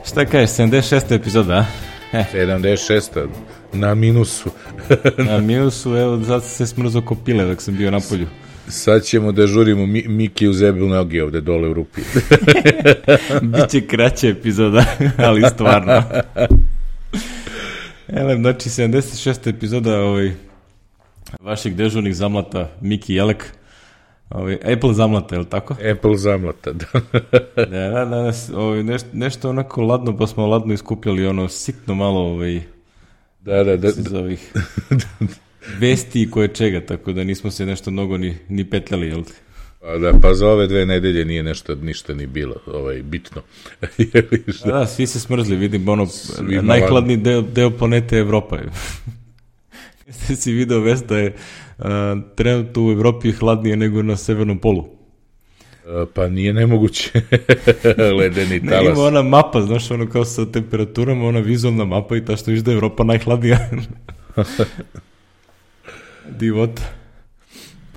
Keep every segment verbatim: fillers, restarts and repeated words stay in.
Šta kažeš, sedamdeset šesta epizoda, a? sedamdeset šesta na minusu. Na minusu, evo, zato se smrzo kopile dok sam bio na polju. Sad ćemo da žurimo Mi, Miki u zebu noge ovde dole u rupi. Biće kraća epizoda, ali stvarno. Ele, znači, sedamdeset šesta epizoda ovaj, vaših dežurnih zamlata Miki Jelek. Ovaj, Apple zamlata, je li tako? Apple zamlata, da. Da, da, da, ovaj, nešto, nešto onako ladno, pa smo ladno iskupljali ono sitno malo ovaj, da, da, da, iz ovih vesti i koje čega, tako da nismo se nešto mnogo ni, ni petljali, jel ti? Pa da, pa za ove dve nedelje nije nešto, ništa ni bilo ovaj, bitno. Da, da, svi se smrzli, vidim, ono, svi najhladniji deo, deo planete je Evropa. Jeste si video vest da je uh, trenutno u Evropi hladnije nego na severnom polu. Uh, pa nije nemoguće. Ledeni talas. Ne, ima ona mapa, znaš, ono kao sa temperaturama, ona vizualna mapa i ta što viš da je Evropa najhladnija. Divota.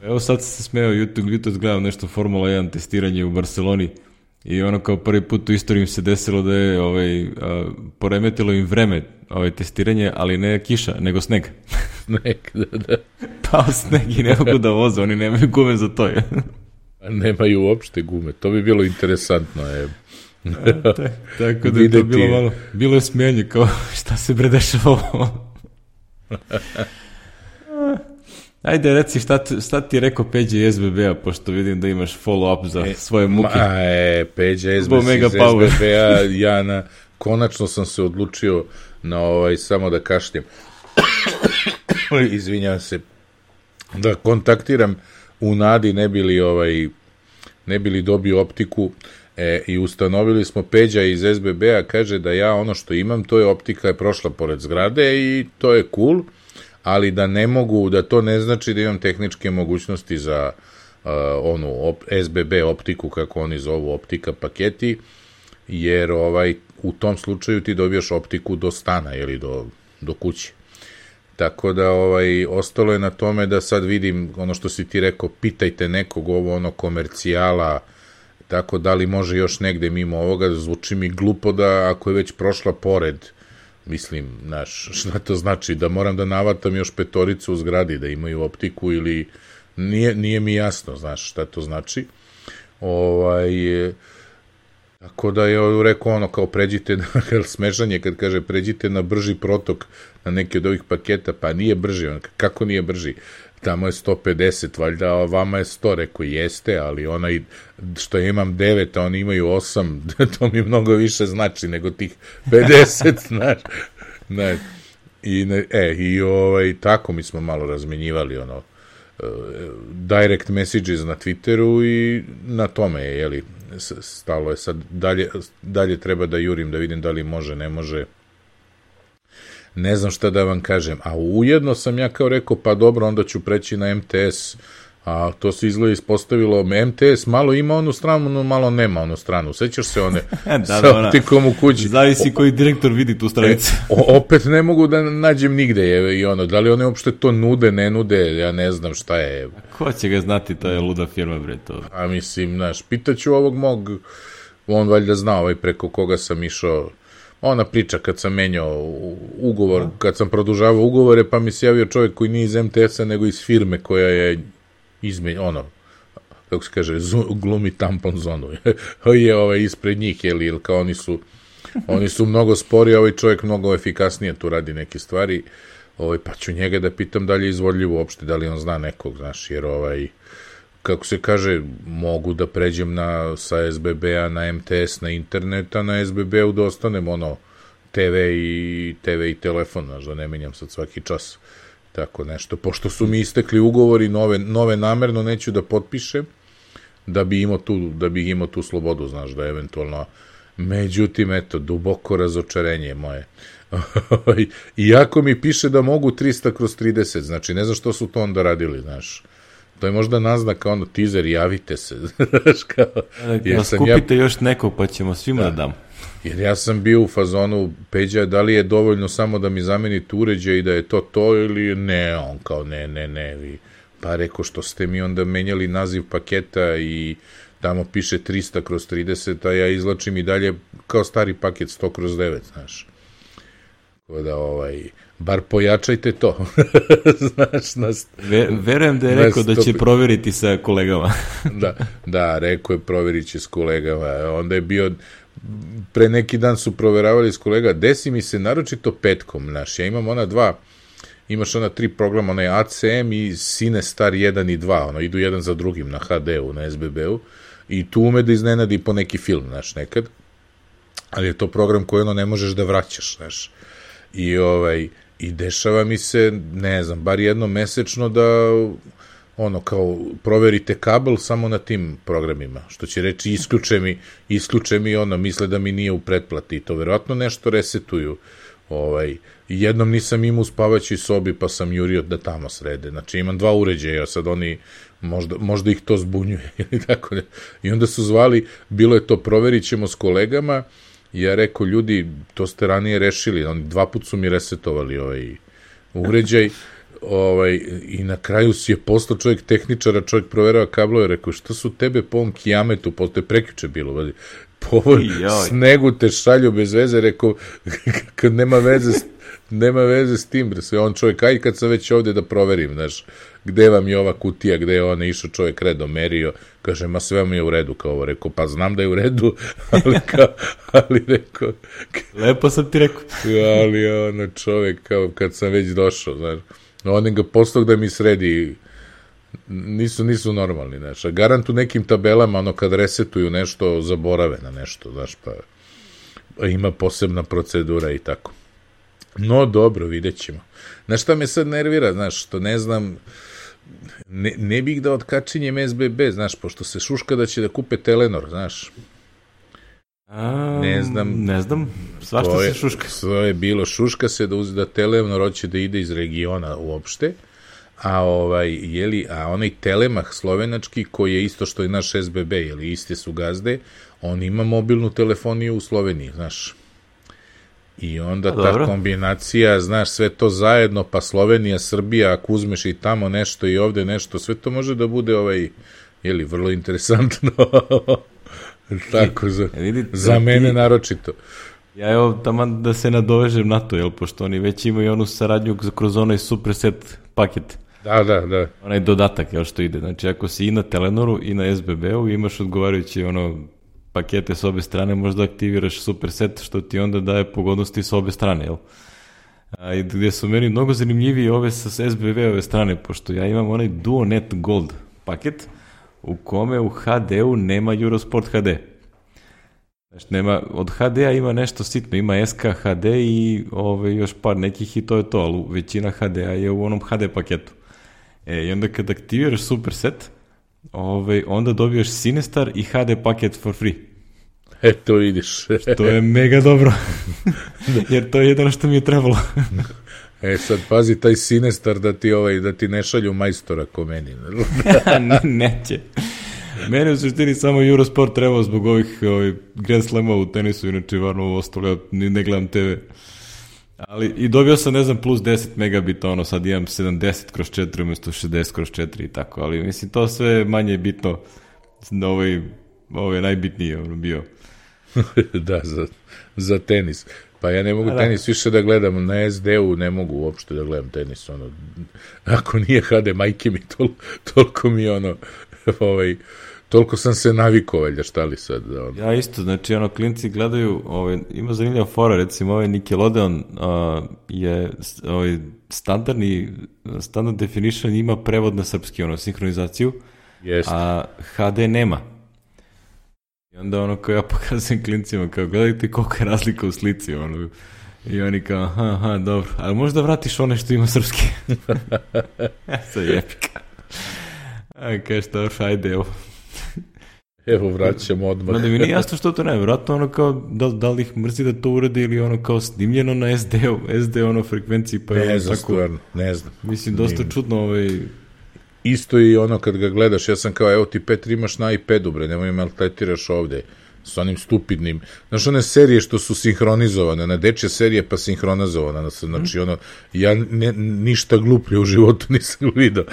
Evo sad se smeo, YouTube, YouTube gledam nešto Formula jedan testiranje u Barceloni i ono kao prvi put u istoriji im se desilo da je ovaj, a, poremetilo im vreme ovaj, testiranje, ali ne kiša, nego sneg. Sneg, da, da. Pao sneg i ne mogu da voze, oni nemaju gume za to. Je. Nemaju uopšte gume, to bi bilo interesantno. Je. A, tak, tako da je to bilo malo, bilo je smijenje, kao šta se bre dešava ovo. Ajde, reci šta, šta ti je rekao Peđa iz S B B-a, pošto vidim da imaš follow-up za e, svoje muke. Ma, e, Peđa iz S B B-a, ja na, konačno sam se odlučio na ovaj, samo da kašljem. Izvinjam se, da kontaktiram u nadi, ne bili, ovaj, ne bili dobio optiku e, i ustanovili smo, Peđa iz S B B-a kaže da ja ono što imam, to je optika je prošla pored zgrade i to je cool, ali da ne mogu, da to ne znači da imam tehničke mogućnosti za uh, onu op, S B B optiku, kako oni zovu, optika paketi, jer ovaj, u tom slučaju ti dobijaš optiku do stana ili do, do kuće. Tako da ovaj, ostalo je na tome da sad vidim ono što si ti rekao, pitajte nekog ovo ono komercijala, tako da li može još negde mimo ovoga, zvuči mi glupo da ako je već prošla pored, mislim, znaš, šta to znači, da moram da navatam još petoricu u zgradi, da imaju optiku ili, nije, nije mi jasno, znaš, šta to znači. Ovaj, tako da je rekao ono, kao pređite, na, smešanje kad kaže pređite na brži protok na neki od ovih paketa, pa nije brži, on, kako nije brži? Tamo je sto pedeset, valjda, a vama je sto, rekao jeste, ali onaj što ja imam devet, a oni imaju osam, to mi mnogo više znači nego tih pedeset, znaš. Ne. I, ne, e, i ovaj, tako mi smo malo razmenjivali, ono, uh, direct messages na Twitteru i na tome je, jeli, stalo je sad, dalje, dalje treba da jurim, da vidim da li može, ne može. Ne znam šta da vam kažem, a ujedno sam ja kao rekao, pa dobro, onda ću preći na M T S, a to se izgleda ispostavilo, M T S malo ima onu stranu, no malo nema onu stranu, sećaš se one da, sa da, optikom u kući. Zavisi koji direktor vidi tu stranicu. E, opet ne mogu da nađem nigde, je, i ono, da li one uopšte to nude, ne nude, ja ne znam šta je. Ko će ga znati, to je luda firma, bre, to. A mislim, znaš, pitaću ovog mog, on valjda zna ovaj preko koga sam išao, ona priča kad sam menjao ugovor, kad sam produžavao ugovore, pa mi se javio čovjek koji nije iz M T S-a, nego iz firme koja je izmen, ono, kako se kaže, glumi tampon zonu. je ovaj, ispred njih, jel, jel, kao oni su, oni su mnogo spori, a ovaj čovjek mnogo efikasnije tu radi neke stvari, ovaj, pa ću njega da pitam da li je izvodljivo uopšte, da li on zna nekog, znaš, jer ovaj, kako se kaže, mogu da pređem na, sa S B B-a na M T S na internet, a na S B B-u da ostanem ono T V i, T V i telefon, znaš, da ne menjam sad svaki čas. Tako nešto. Pošto su mi istekli ugovori, nove, nove namerno neću da potpišem, da bi imao tu, da bi imao tu slobodu, znaš, da eventualno. Međutim, eto, duboko razočarenje moje. Iako mi piše da mogu trista kroz trideset, znači ne znam što su to onda radili, znaš. To je možda naznaka, ono, teaser, javite se. Znaš, kao, da skupite ja, još nekog, pa ćemo svima da, da dam. Jer ja sam bio u fazonu, Peđa, da li je dovoljno samo da mi zamenite uređaj i da je to to ili ne, on kao ne, ne, ne. Vi. Pa rekao, što ste mi onda menjali naziv paketa i tamo piše trista kroz trideset, a ja izlačim i dalje kao stari paket sto kroz devet, znaš. Tako da, ovaj, bar pojačajte to. Znaš, nas, Ve, verujem da je rekao da će provjeriti sa kolegama. da, da, rekao je provjerit će s kolegama. Onda je bio, pre neki dan su proveravali s kolega, desi mi se naročito petkom, znaš, ja imam ona dva, imaš ona tri programa, onaj A C M i Cinestar jedan i dva, ono, idu jedan za drugim na H D-u, na S B B-u, i tu ume da iznenadi po neki film, znaš, nekad, ali je to program koji ono ne možeš da vraćaš, znaš, i ovaj, i dešava mi se, ne znam, bar jednom mesečno da, ono, kao, proverite kabel samo na tim programima, što će reći, isključe mi, isključe mi, ono, misle da mi nije u pretplati, i to verovatno nešto resetuju, ovaj, jednom nisam imao u spavaćoj sobi, pa sam jurio da tamo srede, znači imam dva uređaja, sad oni, možda, možda ih to zbunjuje, ili tako ne, i onda su zvali, bilo je to, proverit ćemo s kolegama, ja rekao, ljudi, to ste ranije rešili, oni dva put su mi resetovali ovaj uređaj, ovaj, i na kraju si je postao čovjek tehničara, čovjek proverava kablove, rekao, što su tebe po ovom kijametu, postoje prekjuče bilo, vadi, po ovom snegu te šalju bez veze, rekao, kad nema veze, nema veze s tim, se on čovjek, aj kad sam već ovde da proverim, znaš, gde vam je ova kutija, gde je ona išao čovjek redom merio, kaže, ma sve mi je u redu, kao ovo, rekao, pa znam da je u redu, ali kao, ali rekao, lepo sam ti rekao, ali ono čovjek, kao kad sam već došao, znaš, on ga postao da mi sredi, nisu, nisu normalni, znaš, a garant u nekim tabelama, ono, kad resetuju nešto, zaborave na nešto, znaš, pa, pa ima posebna procedura i tako. No, dobro, vidjet ćemo. Znaš šta me sad nervira, znaš, što ne znam, ne, ne bih da otkačinjem S B B, znaš, pošto se šuška da će da kupe Telenor, znaš. A, ne znam. Ne znam, svašta se šuška. To je bilo, šuška se da, uz, da Telenor hoće da ide iz regiona uopšte, a, ovaj, jeli, a onaj Telemah slovenački, koji je isto što je naš S B B, jeli, iste su gazde, on ima mobilnu telefoniju u Sloveniji, znaš. I onda ta Dobro. kombinacija, znaš, sve to zajedno, pa Slovenija, Srbija, ako uzmeš i tamo nešto i ovde nešto, sve to može da bude, ovaj, jeli, vrlo interesantno. Tako, za, vidi, za mene ti, naročito. Ja evo, taman da se nadovežem na to, jel, pošto oni već imaju onu saradnju kroz onaj superset paket. Da, da, da. Onaj dodatak, jel, što ide. Znači, ako si i na Telenoru i na S B B-u, imaš odgovarajući, ono, pakete s obe strane, možda aktiviraš superset, što ti onda daje pogodnosti s obe strane, jel? A, i gdje su meni mnogo zanimljiviji ove sa S B B-ove strane, pošto ja imam onaj DuoNet Gold paket, u kome u ha de-u nema Eurosport ha de. Znači, nema, od ha de-a ima nešto sitno, ima es ka ha de i ove, još par nekih i to je to, ali većina ha de-a je u onom ha de paketu. E, i onda kad aktiviraš superset, Ove, onda dobiješ Cinestar i ha de paket for free. E, to vidiš. To je mega dobro. Jer to je jedno što mi je trebalo. E, sad pazi taj Cinestar da ti, ovaj, da ti ne šalju majstora ko meni. Neće. Meni u suštini samo Eurosport trebao zbog ovih, ovih Grand Slama u tenisu, inače varno ovo ostalo, ja ne gledam te ve. Ali i dobio sam, ne znam, plus deset megabita, ono, sad imam sedamdeset kroz četiri umjesto šezdeset kroz četiri i tako, ali mislim, to sve manje bitno, ovaj, ovo je najbitnije, ono, bio. Da, za, za tenis. Pa ja ne mogu A, tenis da. više da gledam, na es de-u ne mogu uopšte da gledam tenis, ono, ako nije ha de, majke mi, tol, toliko mi, ono, ovaj, toliko sam se navikao, valjda, šta li sad? Ono. Ja isto, znači, ono, klinci gledaju, ovaj, ima zanimljiva fora, recimo, ovaj Nickelodeon uh, je ovaj, standardni, standard definition ima prevod na srpski, ono, sinhronizaciju, Jest. a ha de nema. I onda, ono, kao ja pokazujem klincima, kao, gledajte koliko je razlika u slici, ono, i oni kao, aha, aha, dobro, ali možda vratiš one što ima srpski. Sad je epika. A, kaj šta, ajde, evo. Evo, vraćamo odmah. No, da mi nije jasno što to ne, vratno ono kao, da, da li ih mrzi da to uradi ili ono kao snimljeno na es de-u, es de ono frekvenciji, pa je ne ono znam, tako, stvarno, ne znam. Mislim, dosta Nim. čudno ovaj... Isto i ono kad ga gledaš, ja sam kao, evo ti Petri imaš na iPadu, bre, nemoj maltretiraš ovde. s onim stupidnim, znaš one serije što su sinhronizovane, na dečje serije pa sinhronizovana, znači ono, ja ne, ništa gluplje u životu nisam vidio.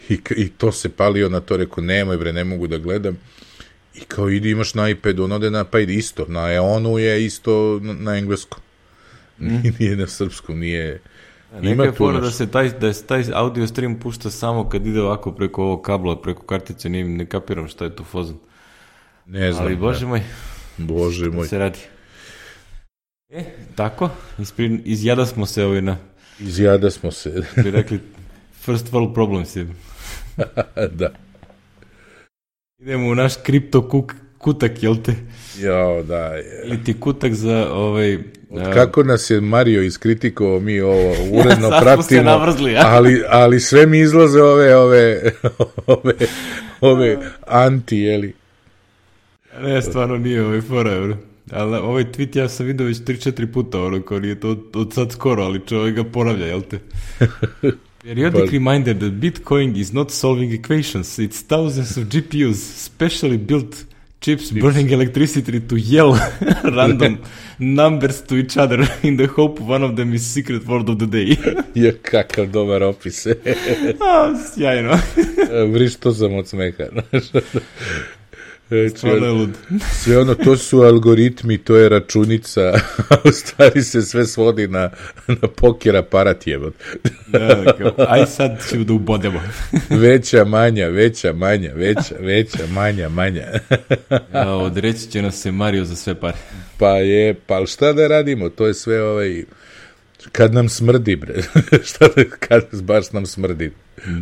I, I to se palio na to, rekao, nemoj bre, ne mogu da gledam. I kao idi imaš na iPadu, on ode na iPad isto, na Eonu je isto na, na engleskom. Mm. Nije na srpskom, nije... Neka je fora da se taj, da se taj audio stream pušta samo kad ide ovako preko ovog kabla, preko kartice, ne, ne kapiram šta je tu fazon. Ne znam. Ali bože moj, bože moj. Se radi. E, tako, ispri, izjada smo se ovaj na... Izjada smo se. Bi rekli, first world problems je. Da. Idemo u naš kripto kuk, kutak, jel te? Jao, da. Je. Ili ti kutak za ovaj... Od kako nas je Mario iskritikovao, mi ovo uredno sad pratimo, se navrzli, ja? ali, ali sve mi izlaze ove, ove, ove, ove anti, jeli? Ne, stvarno nije ovaj fora, bro. Ali ovaj tweet ja sam vidio već tri četiri puta, ono, kao nije to od, od sad skoro, ali čovjek ga ponavlja, jel te? Periodic reminder that Bitcoin is not solving equations. It's thousands of G P Us, specially built chips burning electricity to yell random numbers to each other in the hope one of them is secret word of the day. Je, kakav dobar opis. A, sjajno. Vriš to sam od smeha. Stvarno je lud. Sve ono, to su algoritmi, to je računica, a u stvari se sve svodi na, na poker aparat jebot. Da, kao, aj sad ćemo da ubodemo. Veća, manja, veća, manja, veća, veća, manja, manja. Ja, odreći će nas se Mario za sve pare. Pa je, pa šta da radimo, to je sve ovaj, kad nam smrdi, bre, šta da, kad baš nam smrdi.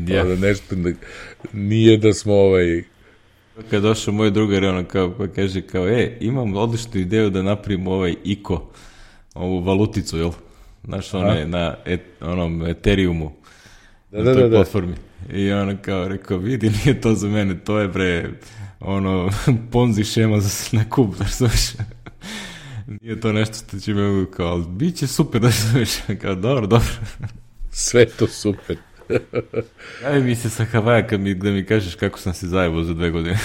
Ja. Nešto, nije da smo ovaj... Kad došao moj drugar, ono kao, pa kaže kao, e, imam odličnu ideju da napravimo ovaj I C O, ovu valuticu, jel? Znaš, ono je na et, onom Ethereumu, da, na da, toj da, platformi. I ono kao, rekao, vidi, nije to za mene, to je, bre, ono, ponzi šema za na kub, znaš, znaš. Nije to nešto što će me, kao, ali bit će super, da znaš, kao, dobro, dobro. Sve to super. Javi mi se sa Havaja kad mi, da mi kažeš kako sam se zajebao za dve godine.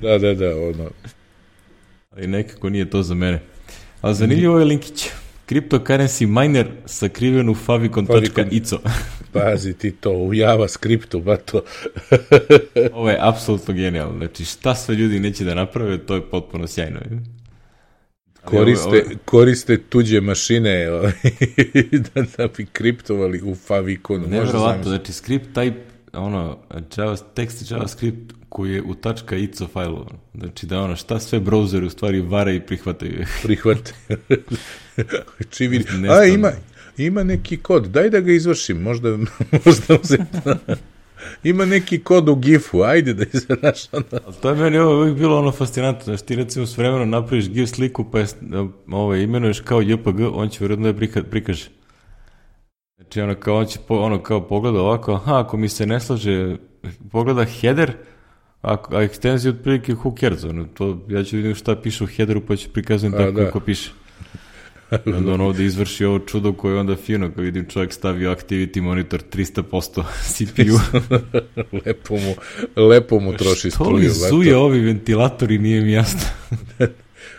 Da, da, da, ono. Ali nekako nije to za mene. Ali zanimljivo je linkić. Cryptocurrency miner sakriven u favicon dot i c o. Pazi ti to, u JavaScriptu, ba to. Ovo je apsolutno genijalno. Znači, šta sve ljudi neće da naprave, to je potpuno sjajno. Koriste, ovo, ovo... koriste tuđe mašine da, da bi kriptovali u faviconu. Nevjerovatno, znači script type, ono, Java, tekst JavaScript koji je u .ico failu. Znači da ono, šta sve browseri u stvari vare i prihvataju. Prihvataju. Čiviri. A, ima, ima neki kod, daj da ga izvršim, možda, možda uzeti. Ima neki kod u gifu, ajde da izvedaš ono. Ali to je meni ovo uvijek bilo ono fascinantno, znači ti recimo s vremenom napraviš gif sliku pa je, ovo, imenuješ kao J P G, on će vjerojatno da je prikaže. Znači ono kao, on će po, ono kao pogleda ovako, aha, ako mi se ne slaže, pogleda header, a, a ekstenzija otprilike who cares, ono, to, ja ću vidim šta piše u headeru pa ću prikazujem tako kako piše. Onda on ovdje izvrši ovo čudo koje onda fino, kad vidim čovjek stavio activity monitor tristo posto C P U. lepo, mu, lepo mu troši što struju. Što li zuje ovi ventilatori, nije mi jasno.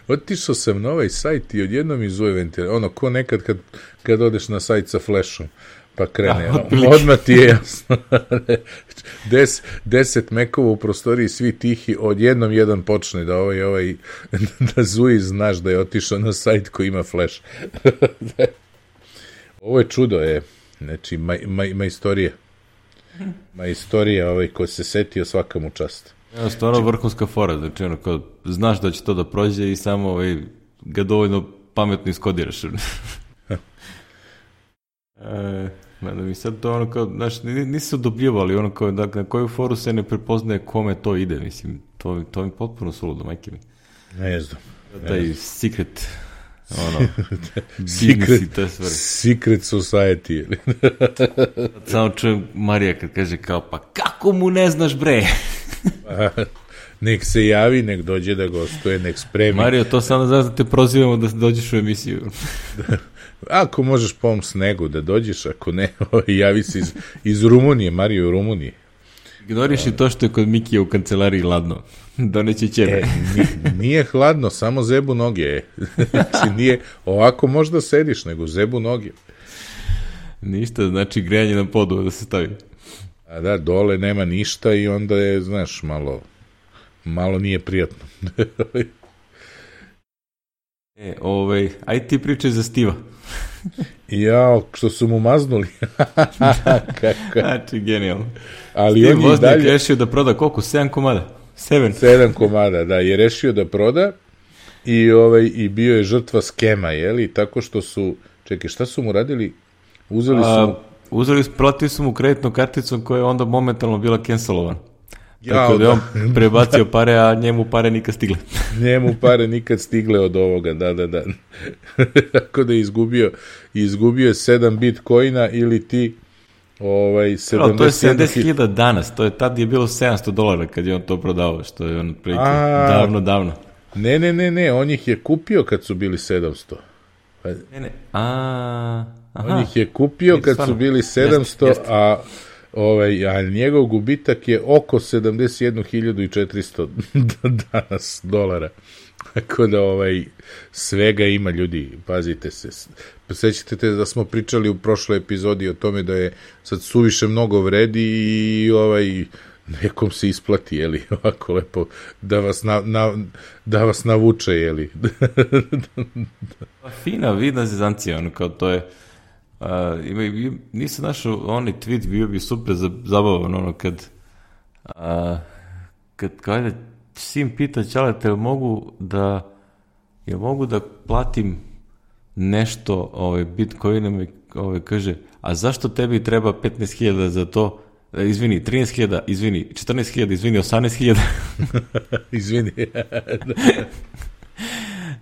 Otišao sam na ovaj sajt i odjednom mi zuje ventilator. Ono, ko nekad kad, kad odeš na sajt sa flashom, pa krene. Da, odmah ti je jasno. Des, deset mekova u prostoriji, svi tihi, odjednom jedan počne da ovaj, ovaj, da zuji, znaš da je otišao na sajt koji ima flash. Ovo je čudo, je. Znači, ma, ma, ma istorija. Ma istorija, ovaj, ko se setio svaka mu čast. Ja, stvarno vrhunska fora, znači, ono, kao, znaš da će to da prođe i samo ovaj, ga dovoljno pametno iskodiraš. e, da mi sad to ono kao, znaš, nisi se odobljivali, ono kao, dakle, na koju foru se ne prepoznaje kome to ide, mislim, to, to mi potpuno suludo, majke mi. Ne znam. Taj secret, ono, secret, i te stvari. Secret society. Samo čujem Marija kad kaže kao, pa kako mu ne znaš, bre? Nek se javi, nek dođe da gostuje, nek spremi. Mario, to samo znaš da te prozivamo da dođeš u emisiju. Ako možeš po ovom snegu da dođeš, ako ne, javi se iz, iz Rumunije, Mario u Rumuniji. Ignoriš i to što je kod Mikija u kancelariji hladno. Doneće ćebe. E, nije hladno, samo zebu noge. Znači, nije, ovako možda sediš, nego zebu noge. Ništa, znači grejanje na podu da se stavi. A da, dole nema ništa i onda je, znaš, malo, malo nije prijatno. E, ovaj, aj ti pričaj za Stiva. Jao, što su mu maznuli. Kako? Znači, genijalno. Ali Steve on je Wozniak dalje... rešio da proda koliko? sedam komada? Seven. Sedam komada, da, je rešio da proda i, ovaj, i bio je žrtva skema, jeli? Tako što su, čekaj, šta su mu radili? Uzeli su mu... A, uzeli, platili su mu kreditnu karticu koja je onda momentalno bila cancelovana. Jao, Tako da je on da. prebacio pare, a njemu pare nikad stigle. Njemu pare nikad stigle od ovoga, da, da, da. Tako da je izgubio, izgubio je sedam bitcoina ili ti ovaj, sedamdeset... To je sedamdeset hiljada danas, to je tad je bilo sedamsto dolara kad je on to prodao, što je on otprilike davno, davno. Ne, ne, ne, ne, on ih je kupio kad su bili sedamsto. Ne, ne, a... Aha. On ih je kupio kad su bili sedamsto, jest, jest. a... Ovaj, a njegov gubitak je oko sedamdeset jednu hiljadu četiristo danas dolara. Tako da ovaj, svega ima, ljudi, pazite se. Sećate da smo pričali u prošloj epizodi o tome da je sad suviše mnogo vredi i ovaj, nekom se isplati, jeli, ovako lepo, da vas, na, na, da vas navuče, jeli. Fina, vidna zezancija, ono, kao to je. Uh, ima, nisam našao onaj tweet, bio bi super zabavan, ono, kad uh, kad kada sin pita Ćaleta, jel mogu da jel mogu da platim nešto ovaj, bitcoinom i ovaj, kaže, a zašto tebi treba petnaest hiljada za to, e, izvini, trinaest hiljada, izvini, četrnaest hiljada, izvini, osamnaest hiljada. Izvini.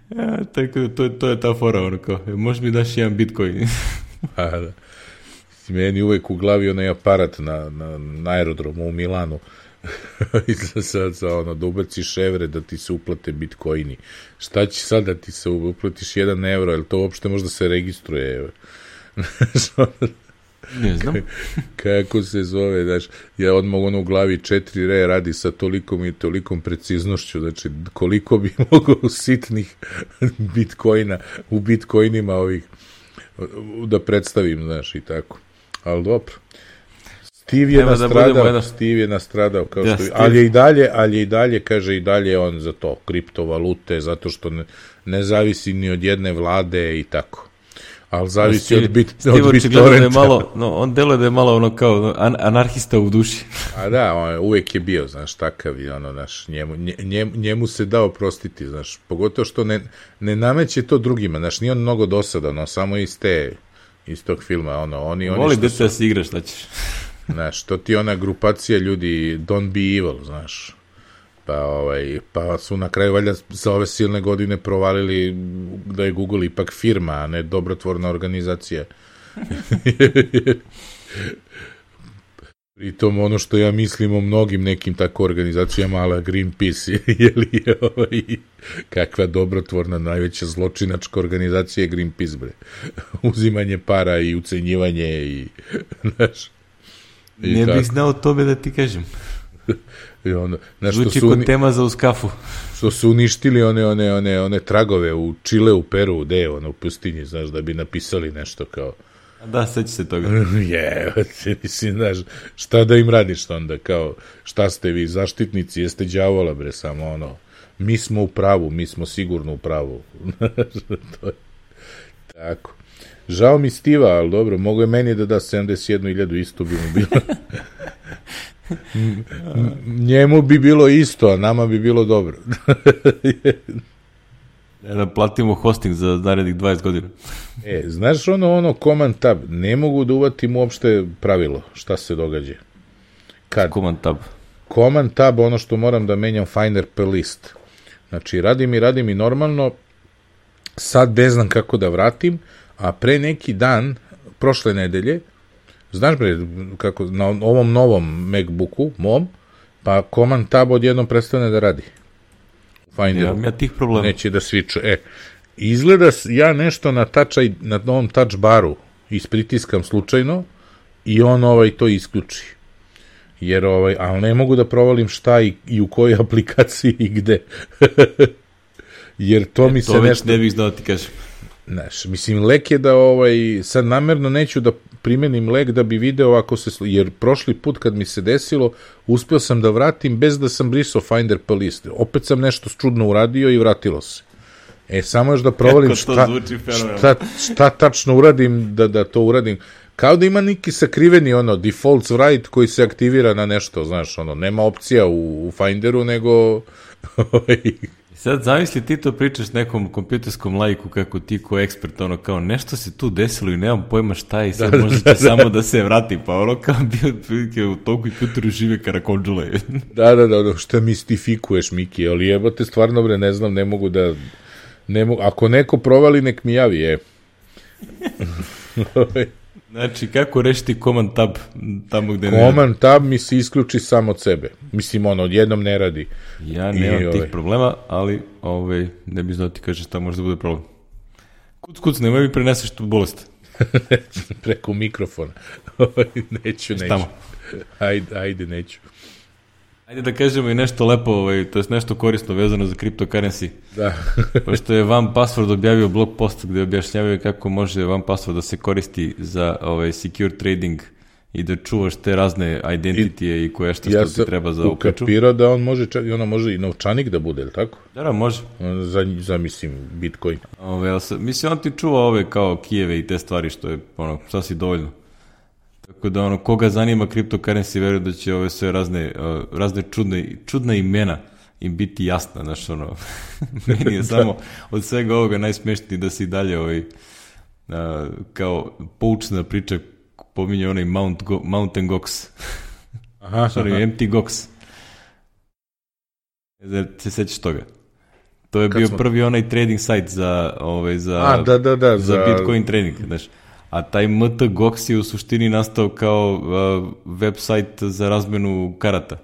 Ja, tako da to, to je ta fora, ono kao, možeš mi daš jedan bitcoin. A, da. Meni uvek u glavi onaj aparat na, na, na aerodromu u Milanu sad sa ono, da ubaciš evre da ti se uplate bitcoini. Šta će sad da ti se uplatiš jedan euro, jel to uopšte možda se registruje? Ne znam. Kako se zove, znaš, ja odmah ono u glavi četiri re radi sa tolikom i tolikom preciznošću, znači koliko bi mogao sitnih bitcoina u bitcoinima ovih da predstavim, znaš, i tako. Ali dobro. Steve je Evo nastradao, da Steve je nastradao, kao ja, što, ali je i dalje, ali je i dalje, kaže, i dalje on za to, kriptovalute, zato što ne, ne zavisi ni od jedne vlade i tako. Ali zavisi Steve, od bit, Steve od BitTorrenta. Da je malo, no, on deluje da je malo ono kao an, anarhista u duši. A da, on uvek je bio, znaš, takav i ono, znaš, njemu, njemu, njemu se dao prostiti, znaš, pogotovo što ne, ne nameće to drugima, znaš, nije on mnogo dosadan, no, samo iz te, iz tog filma, ono, oni, oni Voli dete da se igraš, šta ćeš. Znaš, to ti ona grupacija ljudi, don't be evil, znaš. Pa, ovaj, pa su na kraju valjda za ove silne godine provalili da je Google ipak firma, a ne dobrotvorna organizacija. Pritom ono što ja mislim o mnogim nekim tako organizacijama, ala Greenpeace, je li ovaj, kakva dobrotvorna, najveća zločinačka organizacija je Greenpeace, bre. Uzimanje para i ucenjivanje i, znaš. I ne tako. Bih znao tome da ti kažem. I ono, znaš, zvuči kod uni... tema za uskafu. Što su uništili one, one, one, one tragove u Čile, u Peru, gde je ono, u pustinji, znaš, da bi napisali nešto kao... Da, seća se toga. Je, mislim, znaš, šta da im radiš onda, kao, šta ste vi, zaštitnici, jeste đavola, bre, samo ono, mi smo u pravu, mi smo sigurno u pravu. To je tako. Žao mi Stiva, ali dobro, mogo je meni da da sedamdeset jednu hiljadu, isto bi mu bilo. Njemu bi bilo isto, a nama bi bilo dobro. Da platimo hosting za narednih dvadeset godina. E, znaš ono, ono, command tab, ne mogu da uvatim uopšte pravilo, šta se događa. Kad? Command tab. Command tab, ono što moram da menjam finder per list. Znači, radim i radim i normalno, sad ne znam kako da vratim, a pre neki dan, prošle nedelje, znaš bre, kako, na ovom novom MacBooku, mom, pa command tab odjednom prestane da radi. Finder. Ja, ja tih problema. Neće da sviču. E, izgleda, ja nešto na, touch, na novom touch baru ispritiskam slučajno i on ovaj to isključi. jer ovaj, ali ne mogu da provalim šta i, i u kojoj aplikaciji i gde. Jer to e, mi se to već nešto... ne bih znao ti kažem. Znaš, mislim, lek je da, ovaj, sad namerno neću da primenim lek da bi video ako se, jer prošli put kad mi se desilo, uspio sam da vratim bez da sam brisao Finder pa list. Opet sam nešto čudno uradio i vratilo se. E, samo još da provalim šta, šta, šta tačno uradim da, da to uradim. Kao da ima neki sakriveni, ono, defaults write koji se aktivira na nešto, znaš, ono, nema opcija u, u Finderu, nego... Sad zamisli ti to pričaš nekom kompjuterskom laiku kako ti ko ekspert, ono kao nešto se tu desilo i nemam pojma šta i sad da, možda će da, samo da. da se vrati, pa ono kao bio prilike u tom kompjuteru žive karakonđule. Da, da, da, šta mistifikuješ, Miki, ali jebate, stvarno bre, ne znam, ne mogu da, ne mogu, ako neko provali, nek mi javi, je. Znači, kako rešiti command tab tamo gde ne radi? Command tab mi se isključi samo od sebe. Mislim, ono, odjednom ne radi. Ja nemam I, tih ove... problema, ali ove, ne bi znao ti kažeš šta može da bude problem. Kuc, kuc, nemoj mi preneseš tu bolest. Preko mikrofona. neću, neću. Tamo. Ajde, ajde, neću. Ajde da kažemo i nešto lepo, ovaj, to je nešto korisno vezano za cryptocurrency. Da. Pošto je One Password objavio blog post gde objašnjavaju kako može One Password da se koristi za ovaj, secure trading i da čuvaš te razne identitije i, i koje što, ja što ti treba za uključu. Ja sam ukapirao da on može, čak, ono može i novčanik da bude, ili tako? Da, da, može. Za, za mislim, Bitcoin. Ove, mislim, on ti čuva ove kao kijeve i te stvari, što je ono, sasvim dovoljno. Tako da ono, koga zanima cryptocurrency, veruje da će ove sve razne, uh, razne čudne, čudne imena im biti jasna, znaš, ono, meni je samo od svega ovoga najsmešniji da se i dalje ovaj, uh, kao poučna priča pominje onaj Mount Go, Mountain Gox. Aha, Sorry, aha. M T Gox. Da se sećaš toga? To je Kad bio smo... prvi onaj trading site za, ovaj, za, A, da, da, da, za, za Bitcoin trading, znaš. A taj M T Gox je u suštini nastao kao uh, web sajt za razmenu karata.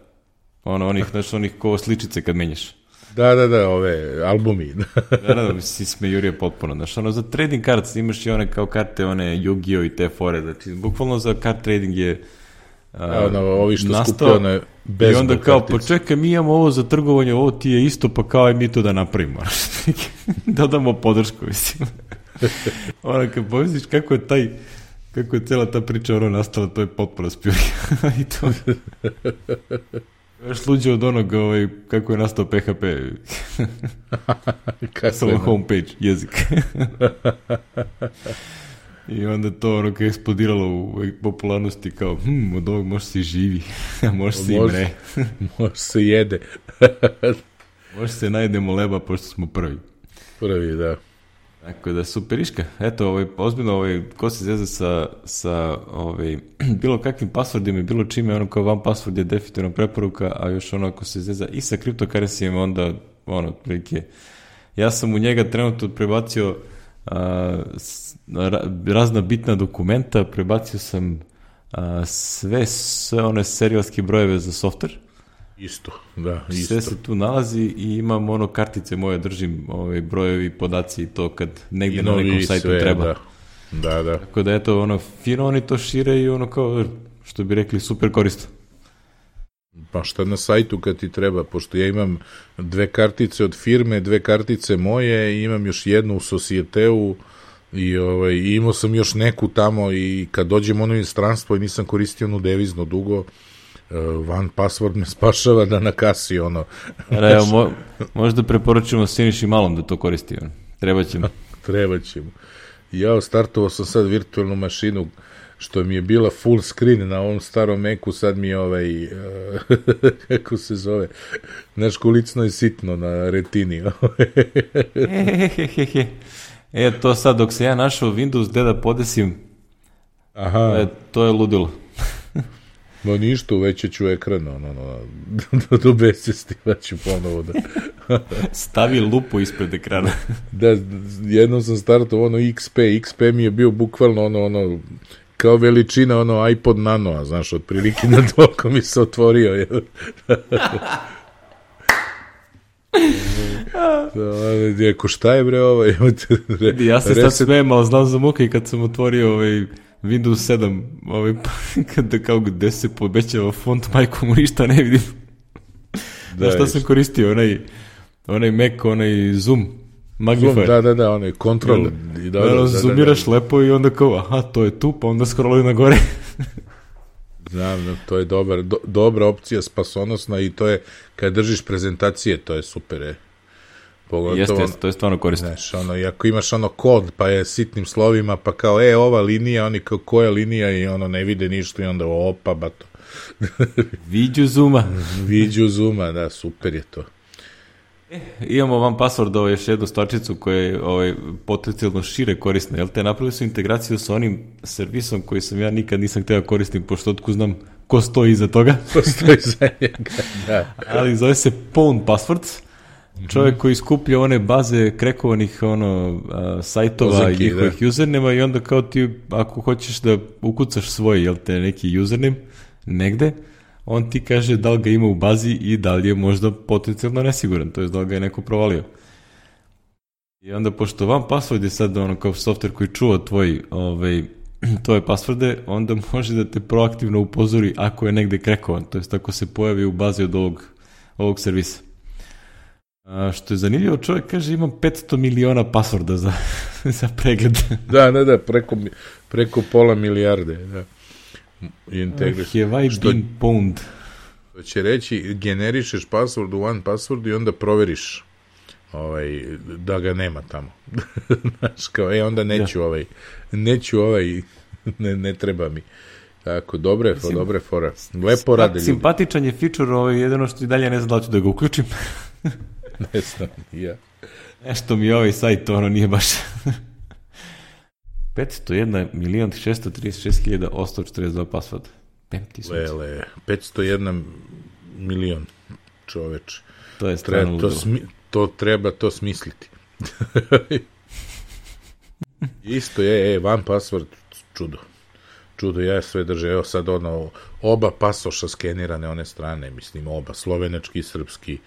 Ono, onih, znaš, onih ko sličice kad menjaš. Da, da, da, ove albumi. da, da, da, si smejurio potpuno. Znaš, ono, za trading kart imaš i one kao karte, one Yu-Gi-Oh i te fore. Znači, bukvalno za kart trading je uh, ono, ovi što skupio one i onda kao, pa čekaj, mi imamo ovo za trgovanje, ovo ti je isto, pa kao aj mi to da napravimo. Dodamo podršku, mislim. Ono, kad pomisliš kako je taj, kako je cela ta priča ono nastala, to je potpuno spjurija. I to još luđe od onog, ovaj, kako je nastao P H P. Samo homepage, jezik. I onda to ono kao eksplodiralo u popularnosti kao, hm, od ovog može se i živi, može se i mre. Može se jede. Može se najedemo leba, pošto smo prvi. Prvi, da. Tako da, superiška. Eto, ovaj, ozbiljno, ovaj, ko se zeza sa, sa ovaj, bilo kakvim passwordima i bilo čime, ono kao One Password je definitivno preporuka, a još ono ako se zeza i sa cryptocurrencyjima, onda, ono, prilike, ja sam u njega trenutno prebacio a, s, ra, razna bitna dokumenta, prebacio sam a, sve, sve one serijalske brojeve za software. Isto, da, isto. Sve se tu nalazi i imam ono kartice moje, držim ove brojevi, podaci i to kad negdje na nekom sajtu sve, treba. Da. da, da. Tako da eto, ono, fino oni to šire i ono kao, što bi rekli, super korisno. Pa šta na sajtu kad ti treba, pošto ja imam dve kartice od firme, dve kartice moje i imam još jednu u Societeu i ovaj, imao sam još neku tamo i kad dođem ono inostranstvo i nisam koristio onu devizno dugo, Uh, One Password me spašava da na kasi ono. Da, evo, mo, možda preporučujemo Siniši Malom da to koristi. On. Treba ćemo. Treba ćemo. Ja startovao sam sad virtualnu mašinu što mi je bila full screen na ovom starom Macu, sad mi je ovaj uh, kako se zove, znaš kolicno je sitno na retini. E, to sad dok se ja našao Windows gde da podesim, aha. E, to je ludilo. No ništa, uvećat ću ekran, ono, ono, do, do besesti, da ću ponovo da... Stavi lupu ispred ekrana. Da, jednom sam startao ono X P, X P mi je bio bukvalno ono, ono, kao veličina, ono, iPod Nano, a znaš, otprilike na toliko mi se otvorio, je. Eko, šta je bre ovo? Ja se sad smijem, ali znam za muke i kad sam otvorio ovaj Windows sedam, ovaj, kada kao gde se povećava font, majko mu ništa ne vidim. Da, šta sam koristio, onaj, onaj Mac, onaj Zoom, Magnifier. Zoom, da, da, da, onaj Control. I da, da, da, da, zoomiraš da, da. lepo i onda kao, aha, to je tu, pa onda scrolluju na gore. Znam, to je dobar, do, dobra opcija, spasonosna i to je, kad držiš prezentacije, to je super, je. Pogotovo, jeste, jeste, to je stvarno korisno. Znaš, ono, i ako imaš ono kod, pa je sitnim slovima, pa kao, e, ova linija, oni kao, koja linija i ono, ne vide ništa i onda, opa, bato. Viđu Zuma. Viđu Zuma, da, super je to. E, imamo vam password, ovo još jednu stvarčicu koja je ovaj, potencijalno šire korisna, jel te? Napravili su integraciju sa onim servisom koji sam ja nikad nisam htio koristim, pošto otko znam ko stoji iza toga. Ko stoji iza njega, da. Ali zove se Pwn Passwords. Čovjek koji skuplja one baze krekovanih ono, a, sajtova Ozaki, i njihovih da. usernema i onda kao ti, ako hoćeš da ukucaš svoj, jel te, neki username negde, on ti kaže da li ga ima u bazi i da li je možda potencijalno nesiguran, to je da li ga je neko provalio. I onda, pošto vam password je sad ono kao software koji čuva tvoj, ovaj, tvoje passworde, onda može da te proaktivno upozori ako je negde krekovan, to jest ako se pojavi u bazi od ovog, ovog servisa. A što je zanimljivo, čovjek kaže imam petsto miliona passworda za, za pregled. Da, da, da, preko, preko pola milijarde, da. Have I been pwned? To će reći, generišeš password u one password i onda proveriš ovaj, da ga nema tamo. Znaš, kao, e, onda neću ja. ovaj, neću ovaj, ne, ne treba mi. Tako, dobre, Mislim, dobre fora. Lepo rade ljudi. Simpatičan je feature, ovaj, jedino što i dalje ne znam da ću da ga uključim. Ne znam, ja. Nešto mi ovaj sajt, ono, nije baš... petsto jedan milion šesto trideset šest hiljada osamsto četrdeset dva password. Lele, petsto jedan milion, čoveč. To je stvarno to, smi, to treba to smisliti. Isto je, e, one password, čudo. Čudo, ja sve držim. Evo sad ono, oba pasoša skenirane one strane, mislim, oba, slovenački i srpski.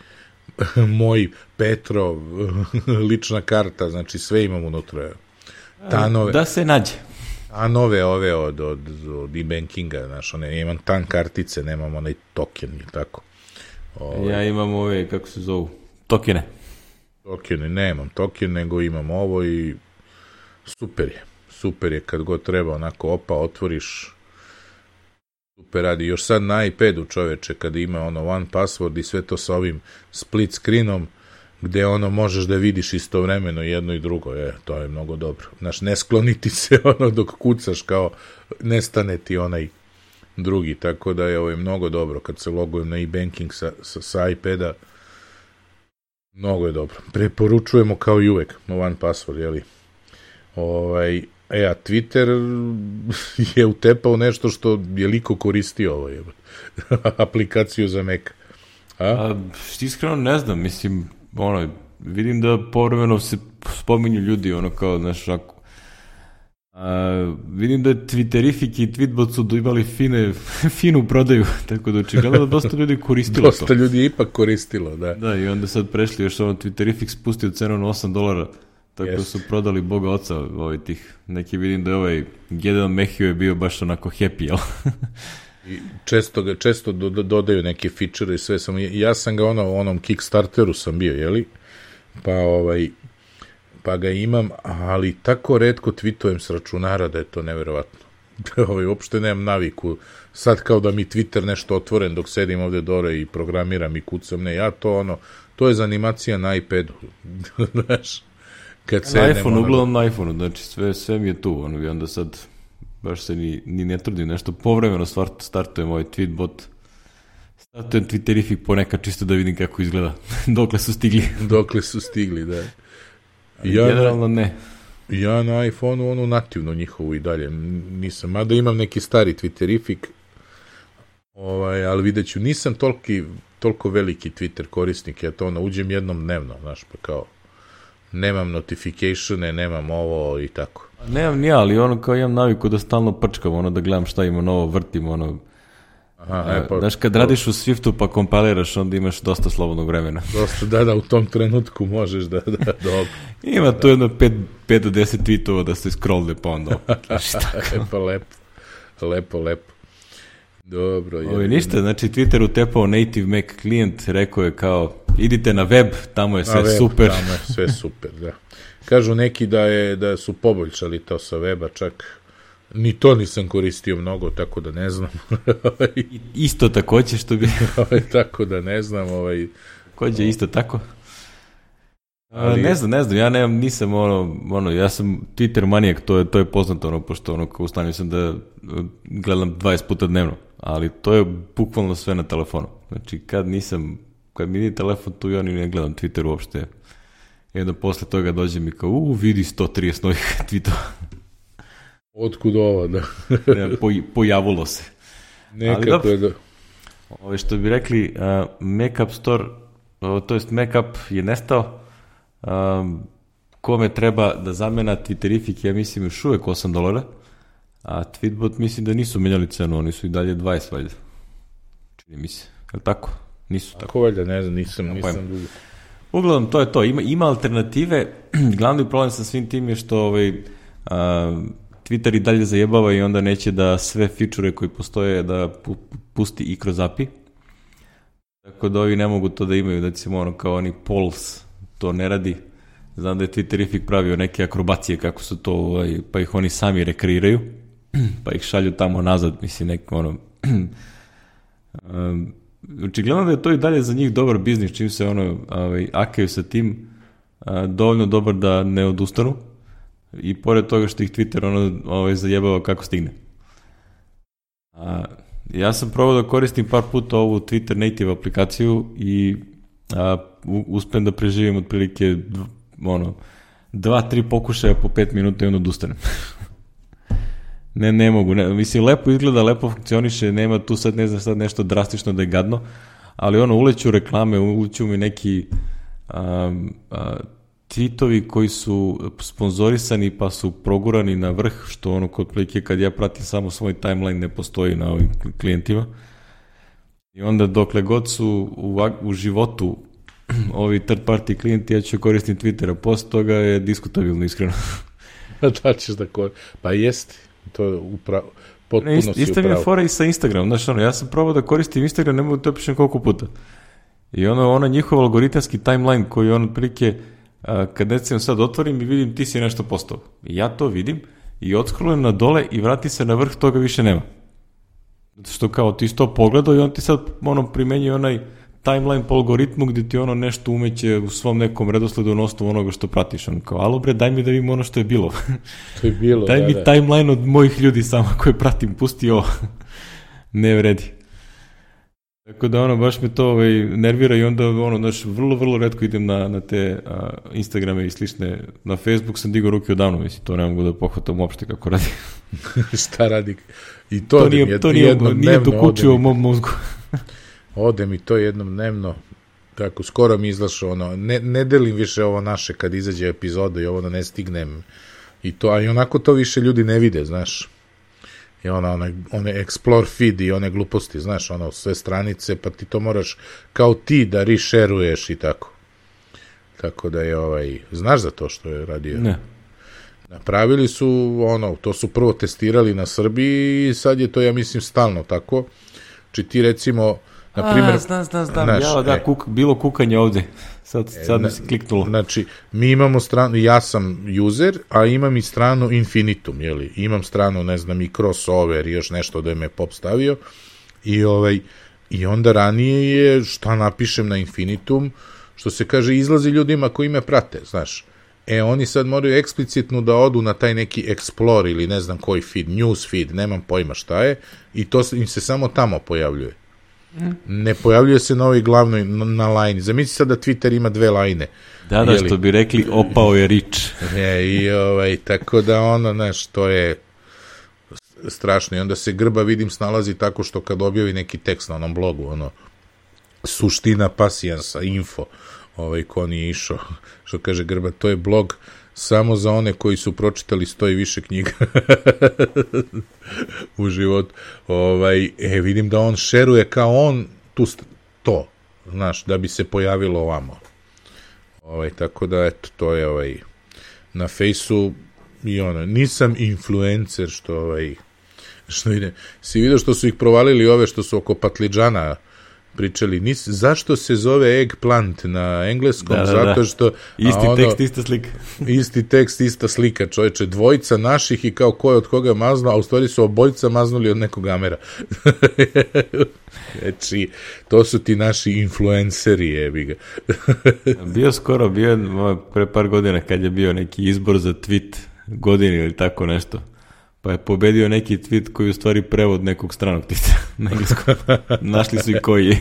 Moj, Petrov, lična karta, znači sve imam unutra. Tanove, da se nađe. A nove ove od, od, od e-bankinga, znaš, one, imam tan kartice, nemam onaj token, ili tako. Ove, ja imam ove, kako se zovu, tokene. Tokene, nemam token, nego imam ovo i super je. Super je, kad god treba, onako, opa, otvoriš, super radi. Još sad na iPadu, čoveče, kad ima ono one password i sve to sa ovim split screenom, gde ono možeš da vidiš istovremeno jedno i drugo, je, to je mnogo dobro. Znaš, ne skloniti se ono dok kucaš, kao nestane ti onaj drugi, tako da je ovo je mnogo dobro. Kad se logujem na e-banking sa, sa, sa iPada, mnogo je dobro. Preporučujemo kao i uvek one password, jeli? Ovaj, e, a Twitter je utepao nešto što je liko koristio ovo, je, aplikaciju za Mac. A? A, iskreno ne znam, mislim, ono, vidim da povremeno se spominju ljudi, ono kao, znaš, ako, a, vidim da je Twitterific i Tweetbot su imali fine, finu prodaju, tako da očigledno da dosta ljudi koristilo dosta to. Dosta ljudi je ipak koristilo, da. Da, i onda sad prešli, još ono, Twitterific spustio cenu na osam dolara, tako yes. su prodali Boga oca ovaj tih, neki vidim da je ovaj Gedeon Mehio je bio baš onako happy, jel? I često ga, često do, do, dodaju neke feature i sve sam, ja sam ga ono, onom Kickstarteru sam bio, jeli, pa ovaj, pa ga imam, ali tako retko tweetujem s računara da je to neverovatno. Ovaj, uopšte nemam naviku, sad kao da mi Twitter nešto otvoren dok sedim ovde dole i programiram i kucam, ne, ja to ono, to je za animacija na iPadu, znaš, kad na iPhone, uglavnom na iPhone, znači sve, sve mi je tu, ono, i onda sad baš se ni, ni ne trudim nešto, povremeno startujem ovaj tweetbot, startujem Twitterific ponekad čisto da vidim kako izgleda, dokle su stigli. Dokle su stigli, da. Ja generalno ne. Ja na iPhone-u onu nativno njihovu i dalje nisam, mada imam neki stari Twitterific, ovaj, ali vidjet ću, nisam toliki, toliko veliki Twitter korisnik, ja to ono, uđem jednom dnevno, znaš, pa kao, nemam notificatione, nemam ovo i tako. Nemam ni ja, ali ono kao imam naviku da stalno prčkam, ono da gledam šta ima novo, vrtim, ono, Aha, e, pa, znaš, kad radiš u Swiftu pa kompiliraš, onda imaš dosta slobodnog vremena. Dosta, da, da, u tom trenutku možeš da, da, dobro. Ima da. Tu jedno pet do deset tweetova da se scrollne pa onda. Lepo, lepo, lepo, lepo. Dobro. Ovo ništa, znači Twitter utepao native Mac klijent, rekao je kao, idite na web, tamo je sve web, super. Tamo je sve super, da. Kažu neki da, je, da su poboljšali to sa weba, čak ni to nisam koristio mnogo, tako da ne znam. Isto takođe što bi... tako da ne znam. Ovaj... Takođe isto tako. Ali... Ne znam, ne znam, ja nemam, nisam ono, ono, ja sam Twitter manijak, to je, to je poznato, ono, pošto ono, u stanju sam da gledam dvadeset puta dnevno, ali to je bukvalno sve na telefonu. Znači, kad nisam, kad mi nije telefon tu, ja ni ne gledam Twitter uopšte. I onda posle toga dođe mi kao, u, vidi sto trideset novih tweetova. Otkud ovo, da? po, pojavilo se. Nekako je da... Ove što bi rekli, uh, Mac App Store, uh, to jest Mac App je nestao, um, kome treba da zamena Twitterific, ja mislim još uvek osam dolara, a Tweetbot mislim da nisu menjali cenu, oni su i dalje dvadeset valjda. Čini mi se, je li tako? Nisu tako. Tako valjda, ne znam, nisam, nisam dugo. Uglavnom, to je to, ima, ima alternative, glavni problem sa svim tim je što ovaj, uh, Twitter i dalje zajebava i onda neće da sve feature koji postoje da pusti i kroz A P I. Tako da ovi ne mogu to da imaju, da će ono kao oni polls to ne radi. Znam da je Twitterific pravio neke akrobacije kako su to, ovaj, pa ih oni sami rekreiraju, pa ih šalju tamo nazad, mislim neko ono... um, očigledno da je to i dalje za njih dobar biznis, čim se ono ovaj, akaju sa tim, a, dovoljno dobar da ne odustanu. I pored toga što ih Twitter ono, ovaj, zajebava kako stigne. A, ja sam probao da koristim par puta ovu Twitter native aplikaciju i a, u, uspem da preživim otprilike dv, ono, dva, tri pokušaja po pet minuta i onda odustanem. ne, ne mogu. Ne, mislim, lepo izgleda, lepo funkcioniše, nema tu sad ne znam sad nešto drastično da je gadno, ali ono, uleću reklame, uleću mi neki a, a, tweetovi koji su sponzorisani pa su progurani na vrh, što ono kod plike kad ja pratim samo svoj timeline ne postoji na ovim klijentima. I onda dokle god su u, u životu ovi third party klijenti, ja ću koristiti Twittera, posle toga je diskutabilno, iskreno. Da ćeš da koristim. Pa jeste, to je upravo, potpuno ne, si ist, isto mi je fora i sa Instagramom, znaš ono, ja sam probao da koristim Instagram, ne mogu da to pišem koliko puta. I ono, ona njihov algoritamski timeline koji on otprilike kad recimo sad otvorim i vidim ti si nešto postao. I ja to vidim i odskrolujem na dole i vrati se na vrh, toga više nema. Zato što kao ti to pogledao i on ti sad ono primenjuje onaj timeline po algoritmu gdje ti ono nešto umeće u svom nekom redosledu na osnovu onoga što pratiš. On kao, alo bre, daj mi da vidim ono što je bilo. To je bilo, daj da, mi da. timeline od mojih ljudi samo koje pratim, pusti ovo. Ne vredi. Tako da ono, baš me to ovaj, nervira i onda ono, znaš, vrlo, vrlo retko idem na, na te a, Instagrame i slične. Na Facebook sam digao ruke odavno, mislim, to ne mogu da pohvatam uopšte kako radi. Šta radi? I to, to nije, jed, to nije, nije dokučio u mom mozgu. Ode mi to jednom dnevno, tako, skoro mi izlašao ono, ne, ne delim više ovo naše kad izađe epizoda i ovo da ne stignem. I to, a i onako to više ljudi ne vide, znaš. I ona, one, one explore feed i one gluposti, znaš, ono, sve stranice, pa ti to moraš kao ti da rešeruješ i tako. Tako da je, ovaj, znaš za to što je radio? Ne. Napravili su, ono, to su prvo testirali na Srbiji i sad je to, ja mislim, stalno tako. Či ti, recimo, na primjer... A, znam, znam, znam, ja, da, e, kuk, bilo kukanje ovde. Sad, sad mi se kliknulo. Znači, mi imamo stranu, ja sam user, a imam i stranu Infinitum, jeli? Imam stranu, ne znam, i crossover i još nešto da je me pop stavio. I, ovaj, i onda ranije je, šta napišem na Infinitum, što se kaže, izlazi ljudima koji me prate, znaš. E, oni sad moraju eksplicitno da odu na taj neki Explore ili ne znam koji feed, news feed, nemam pojma šta je, i to im se samo tamo pojavljuje. Ne pojavljuje se na ovoj glavnoj, na, na lajni. Zamisli sad da Twitter ima dve lajne. Da, da, jeli? Što bi rekli, opao je rič. E, i ovaj, tako da ono, znaš, to je strašno. I onda se Grba, vidim, snalazi tako što kad objavi neki tekst na onom blogu, ono, suština pasijansa, info, ovaj, ko nije išao, što kaže Grba, to je blog samo za one koji su pročitali sto i više knjiga u životu. Ovaj, e, vidim da on šeruje kao on tu st- to, znaš, da bi se pojavilo ovamo. Ovaj, tako da, eto, to je ovaj, na fejsu i ono, nisam influencer, što ovaj, što ide. Si vidio što su ih provalili ove što su oko patliđana pričali, nis, zašto se zove eggplant na engleskom, da, da, zato da. što... Isti ono, tekst, ista slika. Isti tekst, ista slika, čovječe, dvojica naših i kao ko je od koga mazno, a u stvari su obojica maznuli od nekog Amera. Znači, to su ti naši influenceri, jebi ga. Bio skoro, bio pre par godina kad je bio neki izbor za tweet godine ili tako nešto. Pa je pobedio neki tweet koji je u stvari prevod nekog stranog tweeta na engleskom. Našli su i koji je.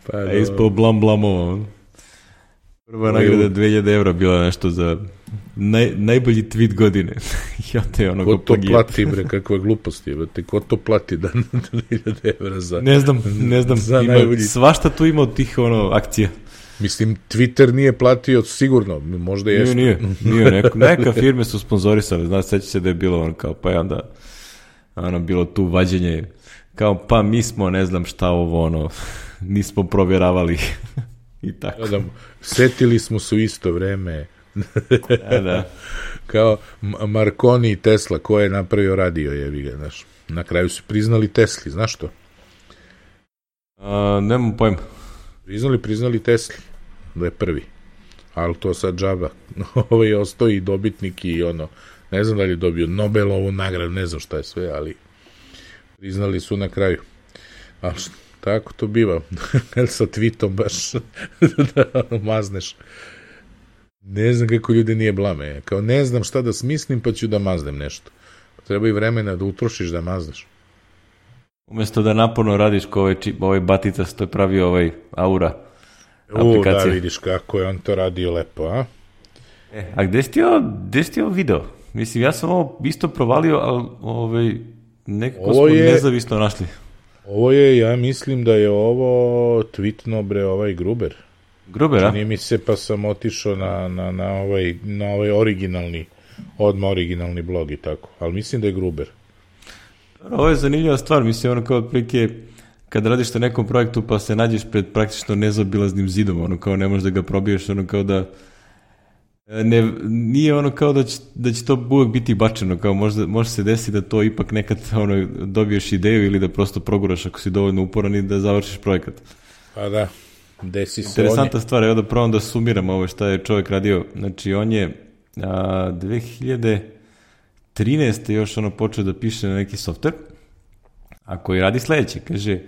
Pa je ispao blam blamovo. Prva nagrada dve hiljade evra bila nešto za naj, najbolji tweet godine. I onda je ono ko to plati, bre, kakva glupost je. Ko to plati da dve hiljade evra za... Ne znam, ne znam. Za ima, najbolji... Svašta tu ima od tih ono, akcija. Mislim, Twitter nije platio sigurno, možda jeste. Nije, nije, nije neko, neka firme su sponzorisale, znaš, seća se da je bilo on kao, pa je onda ono, bilo tu vađenje, kao, pa mi smo, ne znam šta ovo, ono, nismo provjeravali i tako. Da, setili smo se u isto vreme. Da, da. Kao Marconi i Tesla, ko je napravio radio, jebi ga, znaš. Na kraju su priznali Tesli, znaš to? A, nemam pojma. Priznali, priznali Tesli, da je prvi. Ali to sad džaba. Ovo je ostao i dobitnik i ono, ne znam da li je dobio Nobelovu nagradu, ne znam šta je sve, ali priznali su na kraju. A šta, tako to biva. Sa tweetom baš da mazneš. Ne znam kako ljudi nije blame. Kao ne znam šta da smislim, pa ću da maznem nešto. Treba i vremena da utrošiš da mazneš. Umjesto da naporno radiš ko ovaj, čip, ovaj batica što je pravio ovaj Aura aplikacija. U, da vidiš kako je on to radio lepo, a? E, a gde si ti ovo, gde si ti ovo video? Mislim, ja sam ovo isto provalio, ali ovaj, nekako ovo smo je, nezavisno našli. Ovo je, ja mislim da je ovo tweetno, bre, ovaj Gruber. Gruber, a? Čini mi se, pa sam otišao na, na, na, ovaj, na ovaj originalni, odmah originalni blog i tako. Ali mislim da je Gruber. Ovo je zanimljiva stvar, mislim, ono kao otprilike kad radiš na nekom projektu pa se nađeš pred praktično nezaobilaznim zidom, ono kao ne možeš da ga probiješ, ono kao da ne, nije ono kao da će, da će to uvijek biti bačeno, kao možda, može se desiti da to ipak nekad ono, dobiješ ideju ili da prosto proguraš ako si dovoljno uporan i da završiš projekat. Pa da, desi se. Interesantna stvar, evo da probam da sumiram ovo šta je čovjek radio, znači on je a, dve hiljade trinaeste još ono počeo da piše na neki softver, a koji radi sledeće, kaže,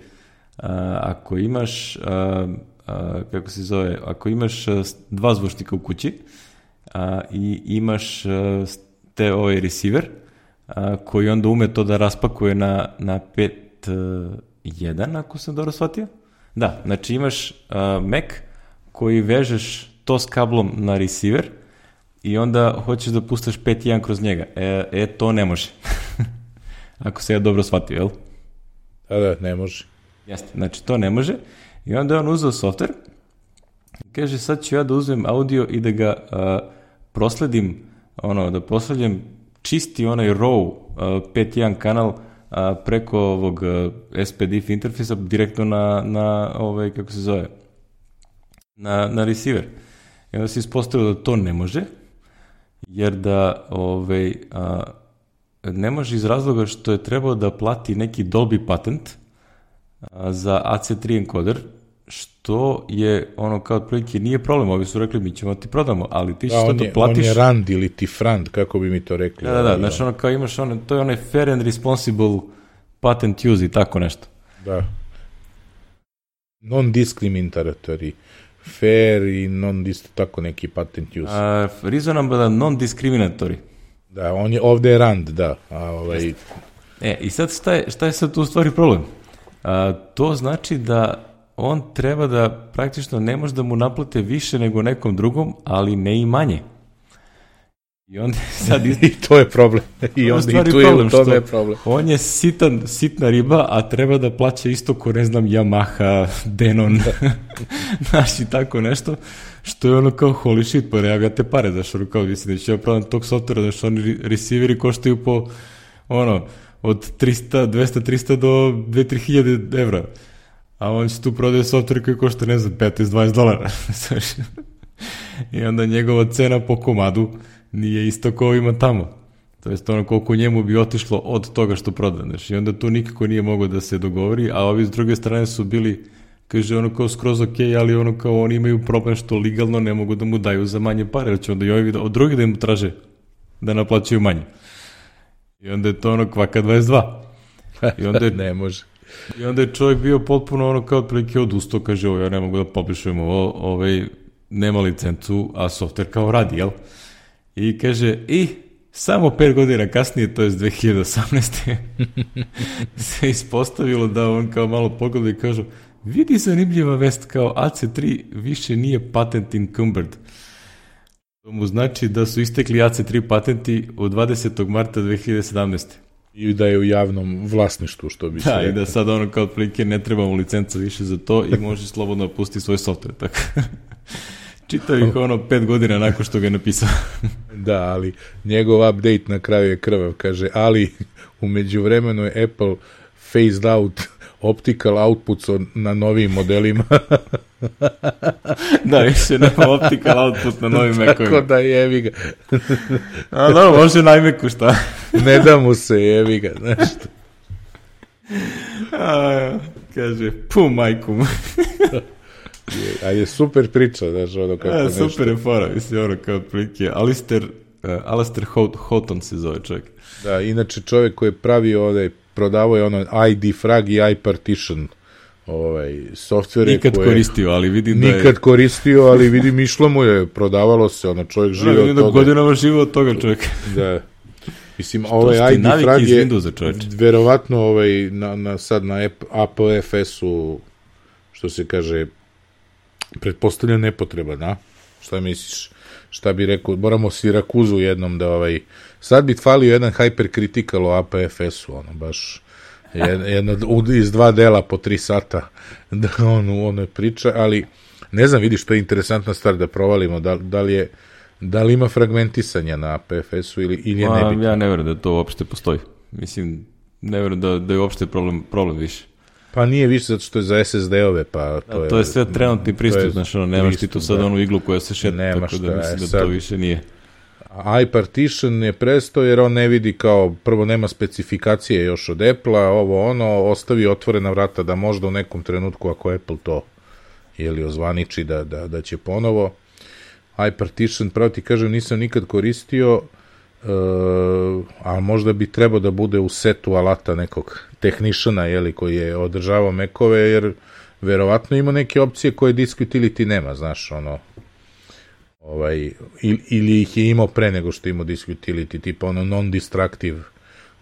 a, ako imaš, a, a, kako se zove, ako imaš a, dva zvučnika u kući a, i imaš a, te ovaj receiver, a, koji onda ume to da raspakuje na, na pet jedan, ako sam dobro shvatio. Da, znači imaš a, Mac koji vežeš to s kablom na receiver, i onda hoćeš da pustaš pet jedan kroz njega. E, e to ne može. Ako se ja dobro shvatio, jel? Da, da, ne može. Jeste, znači to ne može. I onda je on uzeo softver. Kaže, sad ću ja da uzmem audio i da ga a, prosledim, ono, da prosledim čisti onaj raw a, pet jedan kanal a, preko ovog a, S P D I F interfejsa direktno na, na ovaj, kako se zove, na, na receiver. I onda se ispostavilo da to ne može, jer da ovaj, a, ne može iz razloga što je trebao da plati neki Dolby patent a, za A C tri encoder, što je ono kao otprilike nije problem, ovi su rekli mi ćemo ti prodamo, ali ti ćeš da, to da platiš. On je rand ili ti frand, kako bi mi to rekli. Da, da, da, znači ono kao imaš ono, to je onaj fair and responsible patent use i tako nešto. Da. Non-discriminatory. Fair i non-dist, tako neki patent use. Uh, reasonable non-discriminatory. Da, on je ovde je rand, da. A, ovaj... E, i sad šta je, šta je sad tu u stvari problem? Uh, to znači da on treba da praktično ne može da mu naplate više nego nekom drugom, ali ne i manje. I onda sad... I to je problem. I onda i tu je u tome je problem. On je sitan, sitna riba, a treba da plaća isto ko, ne znam, Yamaha, Denon, znaš, i tako nešto, što je ono kao holy shit, pa ja ga te pare, znaš, ono kao, mislim, da ću ja pravim tog softvera, znaš, oni receiveri koštaju po, ono, od trista, dvesta, trista do dve do tri hiljade evra, a on će tu prodaje softver koji košta, ne znam, petnaest do dvadeset dolara, znaš, i onda njegova cena po komadu nije isto kao ima tamo. To jest ono koliko njemu bi otišlo od toga što prodaneš. I onda tu nikako nije mogao da se dogovori, a ovi s druge strane su bili, kaže ono kao skroz ok, ali ono kao oni imaju problem što legalno ne mogu da mu daju za manje pare, jer će onda i ovi od drugi da im traže da naplaćaju manje. I onda je to ono kvaka dvadeset dva. I onda je, ne može. I onda je čovjek bio potpuno ono kao otprilike odustao, kaže ovo ja ne mogu da publishujem ovo, ovaj nema licencu, a softver kao radi, jel? I kaže, i samo pet godina kasnije, to je dve hiljade osamnaeste. se ispostavilo da on kao malo pogleda i kažu, vidi zanimljiva vest, kao A C tri više nije patent encumbered. To mu znači da su istekli A C tri patenti od dvadesetog marta dve hiljade sedamnaeste. I da je u javnom vlasništvu, što bi se da, rekao. I da sad ono kao otprilike ne treba mu licenca više za to i može slobodno pustiti svoj software. Tako. Čitao ih ono pet godina nakon što ga je napisao. Da, ali njegov update na kraju je krvav, kaže, ali u međuvremenu je Apple phased out optical outputs na novim modelima. Da, više nema optical output na novim Mac-ovima. Tako da jevi ga. A da, može na iMac-u, šta? Ne da mu se, jevi ga, znaš što. A, kaže, pu majku mu. A je super priča, znaš, ono kako A, nešto. super je fora, mislim, ono kao prilike. Alistair, uh, Alistair Houghton se zove čovjek. Da, inače čovjek koji je pravio ovdje, prodavao je ono I D Frag i iPartition ovaj, softvere. Nikad koje koristio, ali vidim da je... Nikad koristio, ali vidim išlo mu je, prodavalo se, ono, čovjek žive da, od toga. Da, godinama žive od toga čovjek. Da. Mislim, ovaj I D Frag je verovatno ovaj, na, na, sad na A P F S-u, što se kaže, pretpostavljam nepotreba, da? Šta misliš? Šta bi rekao? Moramo Sirakuzu jednom da ovaj... Sad bi falio jedan hypercritical o A P F S-u, ono, baš jedno, iz dva dela po tri sata da on, ono priča, ali ne znam, vidiš, to je interesantna stvar da provalimo, da, da li je da li ima fragmentisanja na A P F S-u ili, ili je Ma, nebitno. Ja ne verujem da to uopšte postoji. Mislim, ne verujem da, da je uopšte problem, problem više. Pa nije više zato što je za S S D-ove, pa to, A, je, to je sve trenutni pristup, znaš, ono, nemaš ti tu sad da. onu iglu koja se šeta, Nema tako šta, da mislim da sad, to više nije. iPartition je prestao jer on ne vidi kao, prvo nema specifikacije još od Apple-a, ovo ono, ostavi otvorena vrata da možda u nekom trenutku ako Apple to jeli ozvaniči da, da, da će ponovo. iPartition, pravo ti kažem, nisam nikad koristio, uh, a možda bi trebao da bude u setu alata nekog techniciana, jeli, koji je održavao Mac-ove, jer verovatno ima neke opcije koje disk utility nema, znaš, ono, ovaj, ili, ili ih je imao pre nego što imao disk utility, tipa ono non-destructive,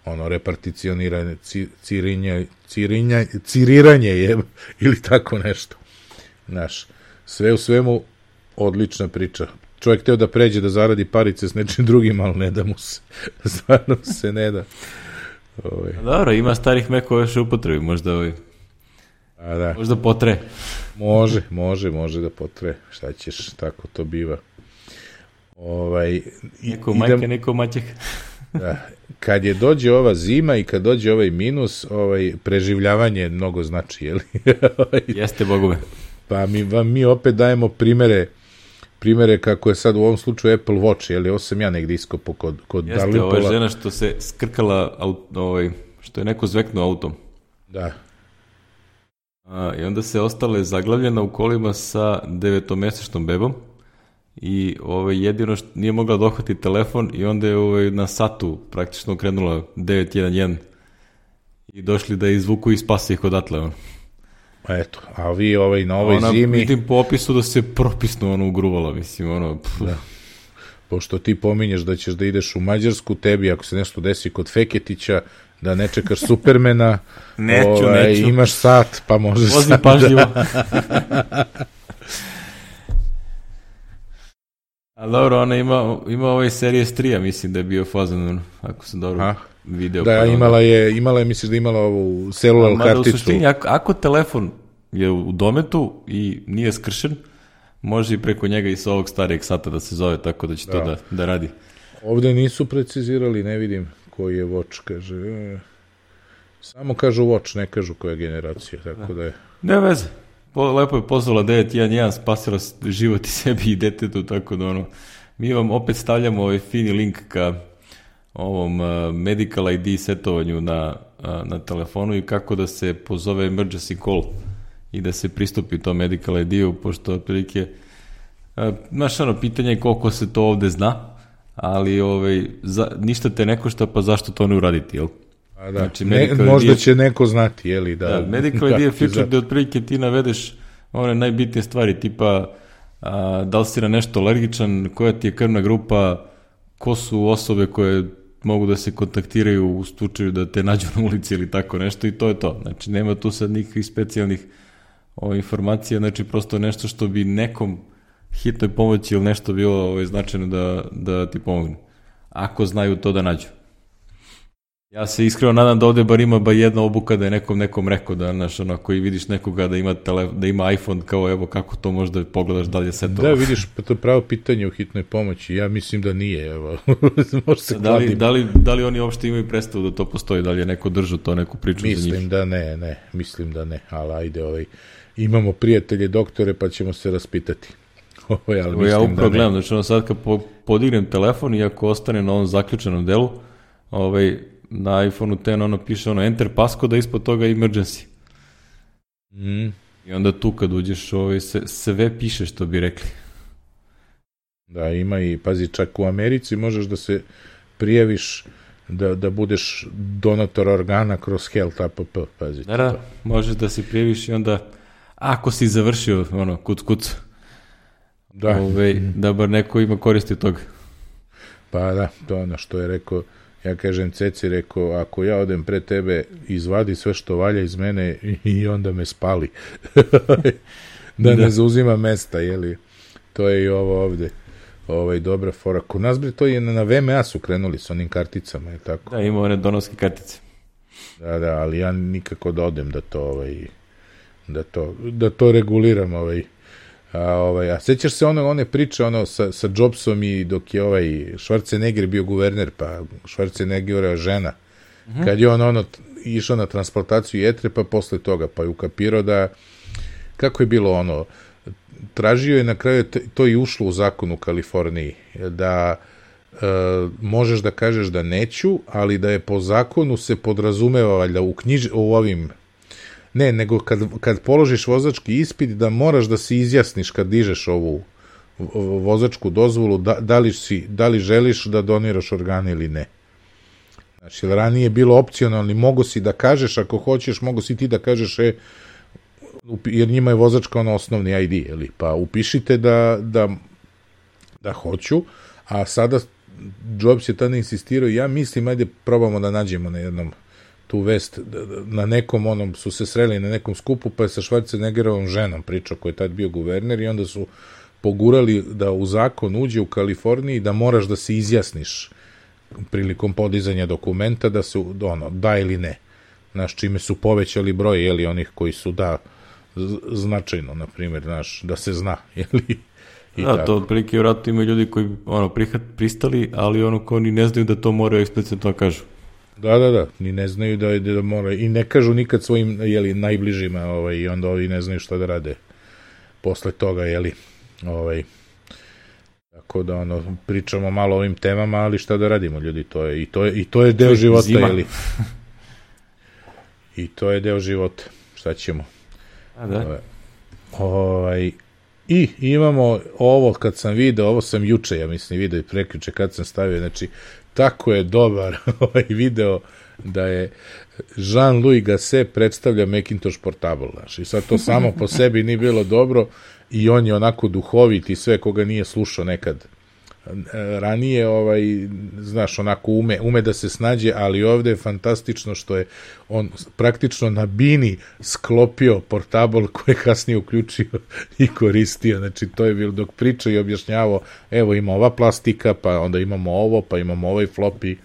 ono, reparticioniranje, cirinja, cirinja, ciriranje je, ili tako nešto, znaš, sve u svemu odlična priča. Čovjek teo da pređe da zaradi parice s nečim drugim, ali ne da mu se, stvarno se ne da. Ovaj. Dobro, ima starih Mac-ova još u upotrebi, možda ovaj, A da. možda potre. Može, može, može da potre. Šta ćeš, tako to biva. Ovaj, Neko idem, majke, neko maćeh. da, kad je dođe ova zima i kad dođe ovaj minus, ovaj, preživljavanje mnogo znači, jel? Jeste, bogove. Pa mi, vam, mi opet dajemo primere primere kako je sad u ovom slučaju Apple Watch, jel? Ovo sam ja negdje iskopo kod, kod Jeste, Darlinpola. ovo je žena što se skrkala, aut, ovaj, što je neko zveknuo autom. Da. A, I onda se ostala zaglavljena u kolima sa devetomesečnom bebom i ovaj, jedino što nije mogla dohvatiti telefon i onda je ovaj, na satu praktično krenula devet jedan jedan i došli da je izvuku i spasi ih odatle. On. Eto, a vi ovaj, na ovoj ona, zimi... Vidim po opisu da se propisno ono ugruvala, mislim, ono... Da. Pošto ti pominješ da ćeš da ideš u Mađarsku, tebi ako se nešto desi kod Feketića, da ne čekaš Supermana, neću, ovaj, neću. Imaš sat, pa možeš... Vozi pažljivo. A dobro, ona ima, ima ovaj Series tri, mislim da je bio fazan, ako sam dobro A? video. Da, pa imala je, imala je, misliš da je imala ovu celular Mada karticu. u suštini, ako, ako telefon je u dometu i nije skršen, može i preko njega i sa ovog starijeg sata da se zove, tako da će da. to da, da radi. Ovde nisu precizirali, ne vidim koji je Watch, kaže. E, samo kažu Watch, ne kažu koja generacija, tako da je. Ne veze. Po, lepo je pozvala devet jedan jedan, spasila život i sebi i detetu, tako da ono, mi vam opet stavljamo ovaj fini link ka ovom uh, medical I D setovanju na, uh, na telefonu i kako da se pozove emergency call i da se pristupi tom medical I D-u, pošto otprilike, uh, znaš ono, pitanje je koliko se to ovde zna, ali ovaj, za, ništa te ne košta, pa zašto to ne uraditi, jel? A da, znači, ne, možda će neko znati, jeli, da... Da, medical I D je feature gde otprilike ti navedeš one najbitnije stvari, tipa a, da li si na nešto alergičan, koja ti je krvna grupa, ko su osobe koje mogu da se kontaktiraju u slučaju da te nađu na ulici ili tako nešto i to je to. Znači, nema tu sad nikakvih specijalnih o, informacija, znači prosto nešto što bi nekom hitnoj pomoći ili nešto bilo ovaj, značajno da, da ti pomogne. Ako znaju to da nađu. Ja se iskreno nadam da ovde bar ima ba jedna obuka da je nekom nekom rekao da, znaš, ono, koji vidiš nekoga da ima, tele, da ima iPhone, kao evo kako to možda pogledaš da li je sve to. Da, vidiš, pa to je pravo pitanje u hitnoj pomoći, ja mislim da nije, evo, može se da li, da, li, da li oni uopšte imaju predstavu da to postoji, da li je neko držao to, neku priču mislim za njih? Mislim da ne, ne, mislim da ne, ali ajde, ovaj, imamo prijatelje doktore pa ćemo se raspitati. Ovaj, ali Evo, ja upravo gledam, znači ono sad kad po, podignem telefon i ako ostane na ovom zaključenom delu, ovaj, na iPhone-u ten ono piše ono enter passcode, a ispod toga emergency. Mm. I onda tu kad uđeš ovaj, se, sve piše što bi rekli. Da, ima i, pazi, čak u Americi možeš da se prijaviš da, da budeš donator organa kroz Health app, pazi. Da, da, možeš da se prijaviš i onda ako si završio ono, kuc kuc, da, ovaj, mm. da bar neko ima koristi od toga. Pa da, to je ono što je rekao. Ja kažem Ceci, rekao, ako ja odem pre tebe, izvadi sve što valja iz mene i onda me spali. da, da ne zauzima mesta, jeli? To je i ovo ovde. Ovaj, dobra fora. Kod nas, bre, to je na V M A su krenuli s onim karticama, je tako? Da, ima one donorske kartice. Da, da, ali ja nikako da odem da to, ovaj, da to, da to reguliram, ovaj. A, ovaj, a sećaš se ono, one priče ono, sa, sa Jobsom i dok je ovaj Schwarzenegger bio guverner, pa Schwarzeneggerova žena, mm-hmm. kad je on ono, išao na transplantaciju jetre, pa posle toga, pa je ukapirao da, kako je bilo ono, tražio je na kraju, to i ušlo u zakon u Kaliforniji, da e, možeš da kažeš da neću, ali da je po zakonu se podrazumeva, valjda, u, knjiž, u ovim ne, nego kad, kad položiš vozački ispit da moraš da se izjasniš kad dižeš ovu vozačku dozvolu da, da, li, si, da li želiš da doniraš organe ili ne. Znači, ranije je bilo opcionalno, mogo si da kažeš, ako hoćeš, mogo si ti da kažeš, e, jer njima je vozačka ono osnovni I D, jeli? Pa upišite da, da, da hoću, a sada Jobs je tada insistirao, ja mislim, ajde probamo da nađemo na jednom tu vest, na nekom onom su se sreli na nekom skupu, pa je sa Schwarzeneggerovom ženom pričao, koji je tad bio guverner, i onda su pogurali da u zakon uđe u Kaliforniji da moraš da se izjasniš prilikom podizanja dokumenta da se ono, da ili ne. Znaš, čime su povećali broj, jeli, onih koji su da značajno, na primjer, znaš, da se zna, jeli. I da, tako. To otprilike vjerojatno imaju ljudi koji ono, prihat, pristali, ali ono ko ni ne znaju da to moraju eksplicitno kažu. Da, da, da, ni ne znaju da, da mora, i ne kažu nikad svojim, jeli, najbližima, ovaj, i onda ovi ne znaju šta da rade posle toga, jeli, ovaj, tako da, ono, pričamo malo o ovim temama, ali šta da radimo, ljudi, to je, i to je, i to je deo života, zima. Jeli, i to je deo života, šta ćemo, a da, ovaj, i imamo ovo, kad sam video, ovo sam juče, ja mislim, video i prekjuče kad sam stavio, znači, tako je dobar ovaj video da je Jean-Louis Gasset predstavlja Macintosh Portable, znaš, i sad to samo po sebi nije bilo dobro i on je onako duhovit i sve koga nije slušao nekad ranije, ovaj, znaš, onako ume, ume da se snađe, ali ovde je fantastično što je on praktično na bini sklopio portabl koji je kasnije uključio i koristio, znači to je bilo dok priča i objašnjavao, evo ima ova plastika, pa onda imamo ovo, pa imamo ovaj floppy.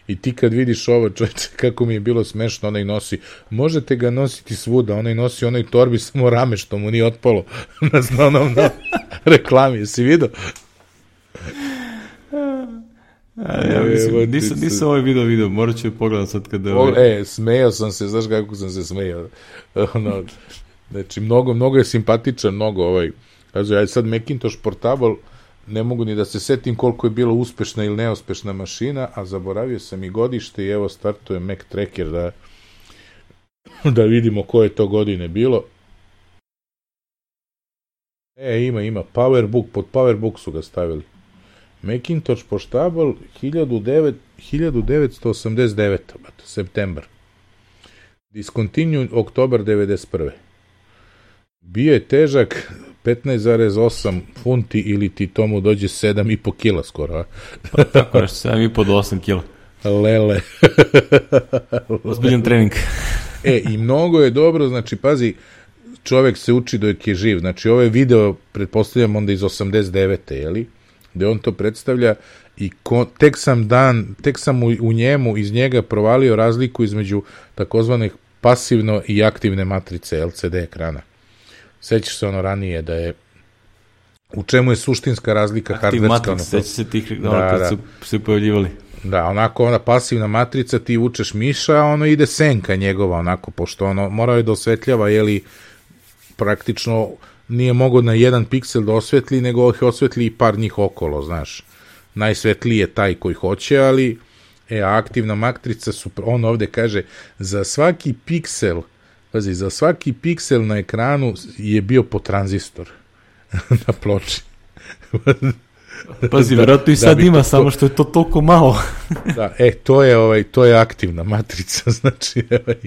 I ti kad vidiš ovo, čovječe, kako mi je bilo smešno, onaj nosi, možete ga nositi svuda, onaj nosi onaj torbi samo rame što mu nije otpalo na onom na reklami, jesi vidio? A, ja mislim, nisam, nisam ovaj video video, morat ću pogledati sad kada... Ovaj... E, smejao sam se, znaš kako sam se smejao. Ono, znači, mnogo, mnogo je simpatičan, mnogo ovaj, znači, ja sad Macintosh Portable, ne mogu ni da se setim koliko je bila uspešna ili neuspešna mašina, a zaboravio sam i godište i evo startuje Mac Tracker da, da vidimo koje to godine bilo. E, ima, ima, Powerbook, pod Powerbook su ga stavili. Macintosh Portable hiljadu devetsto osamdeset devete. septembar. Discontinued oktobar devedeset prve. Bio je težak petnaest zarez osam funti ili ti tomu dođe sedam i po kila skoro, a? Pa tako nešto, sedam i po do osam kila. Lele. Ozbiljan trening. E, i mnogo je dobro, znači, pazi, čovek se uči dok je živ. Znači, ovo je video, pretpostavljam, onda iz osamdeset devete, jeli? Gde on to predstavlja i ko, tek sam dan, tek sam u, u njemu, iz njega provalio razliku između takozvanih pasivno i aktivne matrice L C D ekrana. Sećaš se ono ranije da je u čemu je suštinska razlika hardverska? Sećaš se tih da, kad da. su se pojavljivali. Da, onako ona pasivna matrica, ti vučeš miša, a ono ide senka njegova, onako, pošto ono morao je da osvetljava, jeli, praktično nije mogo na jedan piksel da osvetli, nego ih osvetli i par njih okolo, znaš. Najsvetliji je taj koji hoće, ali e, aktivna matrica, su, on ovde kaže, za svaki piksel, pazi, za svaki piksel na ekranu je bio po tranzistor na ploči. Pazi, verovatno i sad da ima, to, samo što je to toliko malo. Da, e, to je, ovaj, to je aktivna matrica, znači, ovaj,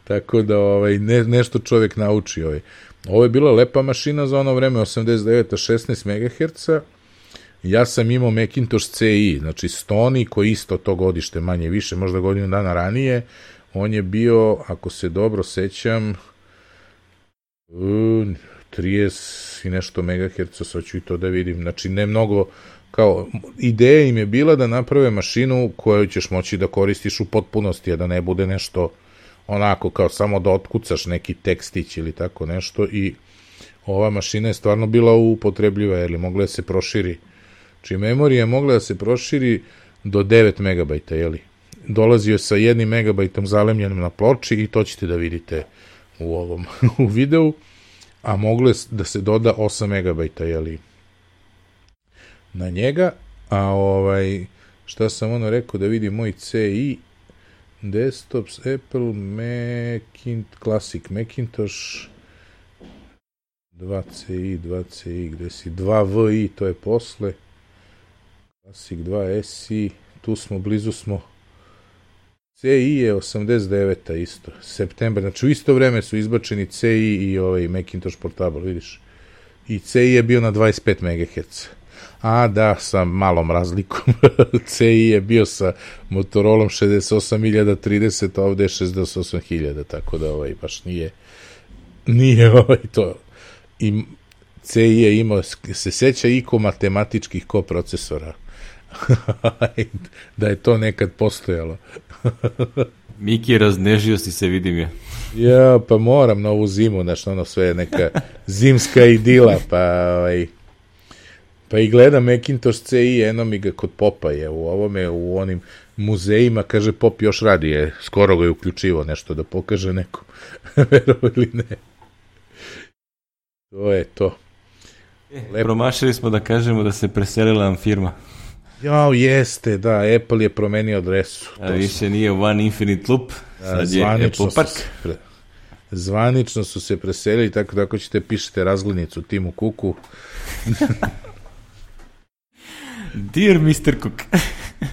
tako da ovaj, ne, nešto čovjek nauči. Ovaj. Ovo je bila lepa mašina za ono vreme, osamdeset devete šesnaest megaherca. Ja sam imao Macintosh C I, znači Stony, koji isto to godište manje više, možda godinu dana ranije. On je bio, ako se dobro sećam, trideset i nešto megaherca, sad ću i to da vidim. Znači, ne mnogo, kao, ideja im je bila da naprave mašinu koju ćeš moći da koristiš u potpunosti, a da ne bude nešto onako, kao samo da otkucaš neki tekstić ili tako nešto, i ova mašina je stvarno bila upotrebljiva, jer mogla da se proširi. Znači, memorija je mogla da se proširi do devet megabajta, jeli? Dolazio sa jednim megabajtom zalemljenim na ploči i to ćete da vidite u ovom u videu, a moglo je da se doda osam megabajta, jeli, na njega, a ovaj, šta sam ono rekao, da vidi moj C I, desktops, Apple, Macintosh, Classic Macintosh, dva C I, dva C I, gde si, dva V I, to je posle, Classic dva S I, tu smo, blizu smo, C I je osamdeset deveta isto, septembar, znači u isto vreme su izbačeni C I i ovaj Macintosh Portable, vidiš. I C I je bio na dvadeset pet megaherca. A da, sa malom razlikom. C I je bio sa Motorolom šezdeset osam hiljada trideset, a ovde je šezdeset osam hiljada, tako da ovaj baš nije nije ovaj to. I C I je imao, se seća iko matematičkih koprocesora. Da je to nekad postojalo. Miki, raznežio si se, vidim je. Ja, pa moram na ovu zimu, znaš, ono sve neka zimska idila, pa ovaj, pa i gledam Macintosh C I, eno mi ga kod Popa je u ovome, u onim muzejima, kaže Pop još radi, je, skoro ga je uključivo nešto da pokaže nekom, verovo ili ne. To je to. E, promašili smo da kažemo da se preselila nam firma. Jao, jeste, da, Apple je promenio adresu. A više sam... nije One Infinite Loop, sad je Apple Park. Pre... Zvanično su se preselili, tako da ako ćete pišete razglednicu Timu Cooku. Dear mister Cook.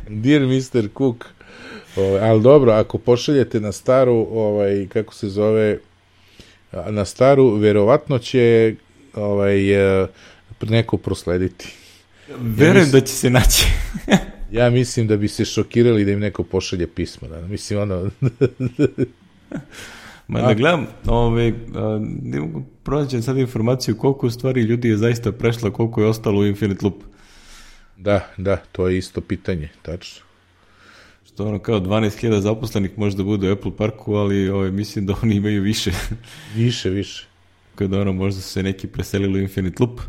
Dear mister Cook. Ovaj, ali dobro, ako pošaljete na staru, ovaj, kako se zove, na staru, verovatno će ovaj, neko proslediti. Verujem ja mislim, da će se naći. Ja mislim da bi se šokirali da im neko pošalje pismo. Da. Mislim, ono... Ma da gledam, ove, a, ne mogu pronaći sad informaciju koliko u stvari ljudi je zaista prešla, koliko je ostalo u Infinite Loop. Da, da, to je isto pitanje, tačno. Što ono kao dvanaest hiljada zaposlenih možda bude u Apple Parku, ali ove, mislim da oni imaju više. Više, više. Kada ono možda su se neki preselili u Infinite Loop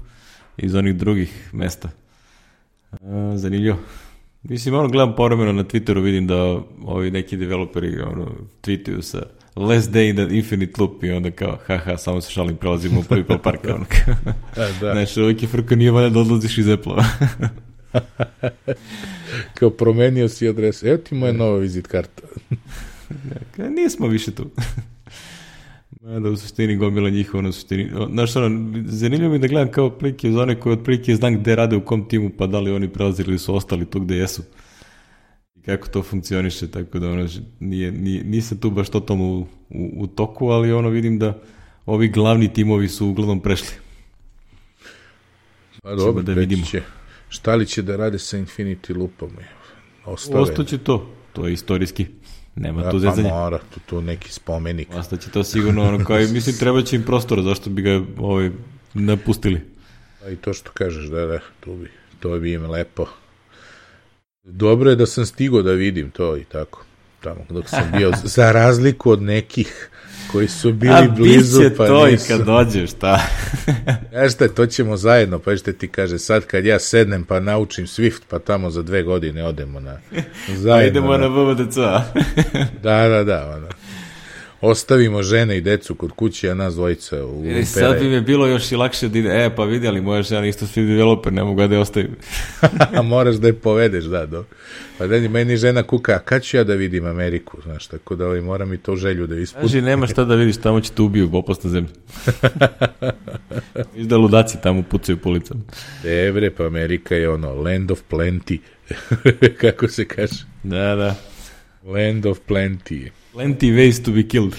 iz onih drugih mesta. A, zanimljivo. Mislim, ono gledam povremeno na Twitteru, vidim da ovi neki developeri ono, tweetuju sa last day in the Infinite Loop i onda kao, haha, samo se šalim, prelazimo u prvi Apple Park. Ono, da, da. Znači, uvijek je frka, nije valja da odlaziš iz Apple-a. Kao promenio si adresu, evo ti moja nova vizit karta. Ja, nismo više tu. Da u suštini gomila njihova, na suštini. Znaš, ono, zanimljivo mi da gledam kao otprilike za one koje otprilike znam gde rade u kom timu, pa da li oni prelazili ili su ostali tu gde jesu. I kako to funkcioniše, tako da ono, nije, nije, nisam tu baš totalno u, u, u toku, ali ono vidim da ovi glavni timovi su uglavnom prešli. Pa dobro, da vidimo. Će, šta li će da rade sa Infinity Loopom? Ostaće to, to je istorijski. Nema da, tu zezanja. Pa mora, tu, tu neki spomenik. Ostaće to sigurno, ono, kao, mislim, treba će im prostora, zašto bi ga ovaj, napustili. Pa i to što kažeš, da, da, tu bi, to bi im lepo. Dobro je da sam stigao da vidim to i tako, tamo dok sam bio, za razliku od nekih koji su bili A, blizu, pa to nisu. I kad dođeš, šta? Ja šta, to ćemo zajedno, pa što ti kaže, sad kad ja sednem pa naučim Swift, pa tamo za dve godine odemo na zajedno. Pa idemo na V V D C A. Da, da, da, ono. Ostavimo žene i decu kod kuće, a nas dvojica u e, sad bi mi bilo još i lakše da ide, e, pa vidjeli, moja žena isto Swift developer, ne mogu da je ostavim. Moraš da je povedeš, da, do. Pa da meni žena kuka, a kad ću ja da vidim Ameriku, znaš, tako da ovaj, moram i to želju da ispunim. Kaži, nema šta da vidiš, tamo će te ubiju, opasna zemlja. Viš da ludaci tamo pucaju po ulicama. Dobre, pa Amerika je ono, land of plenty, kako se kaže. Da, da. Land of plenty. Plenty ways to be killed.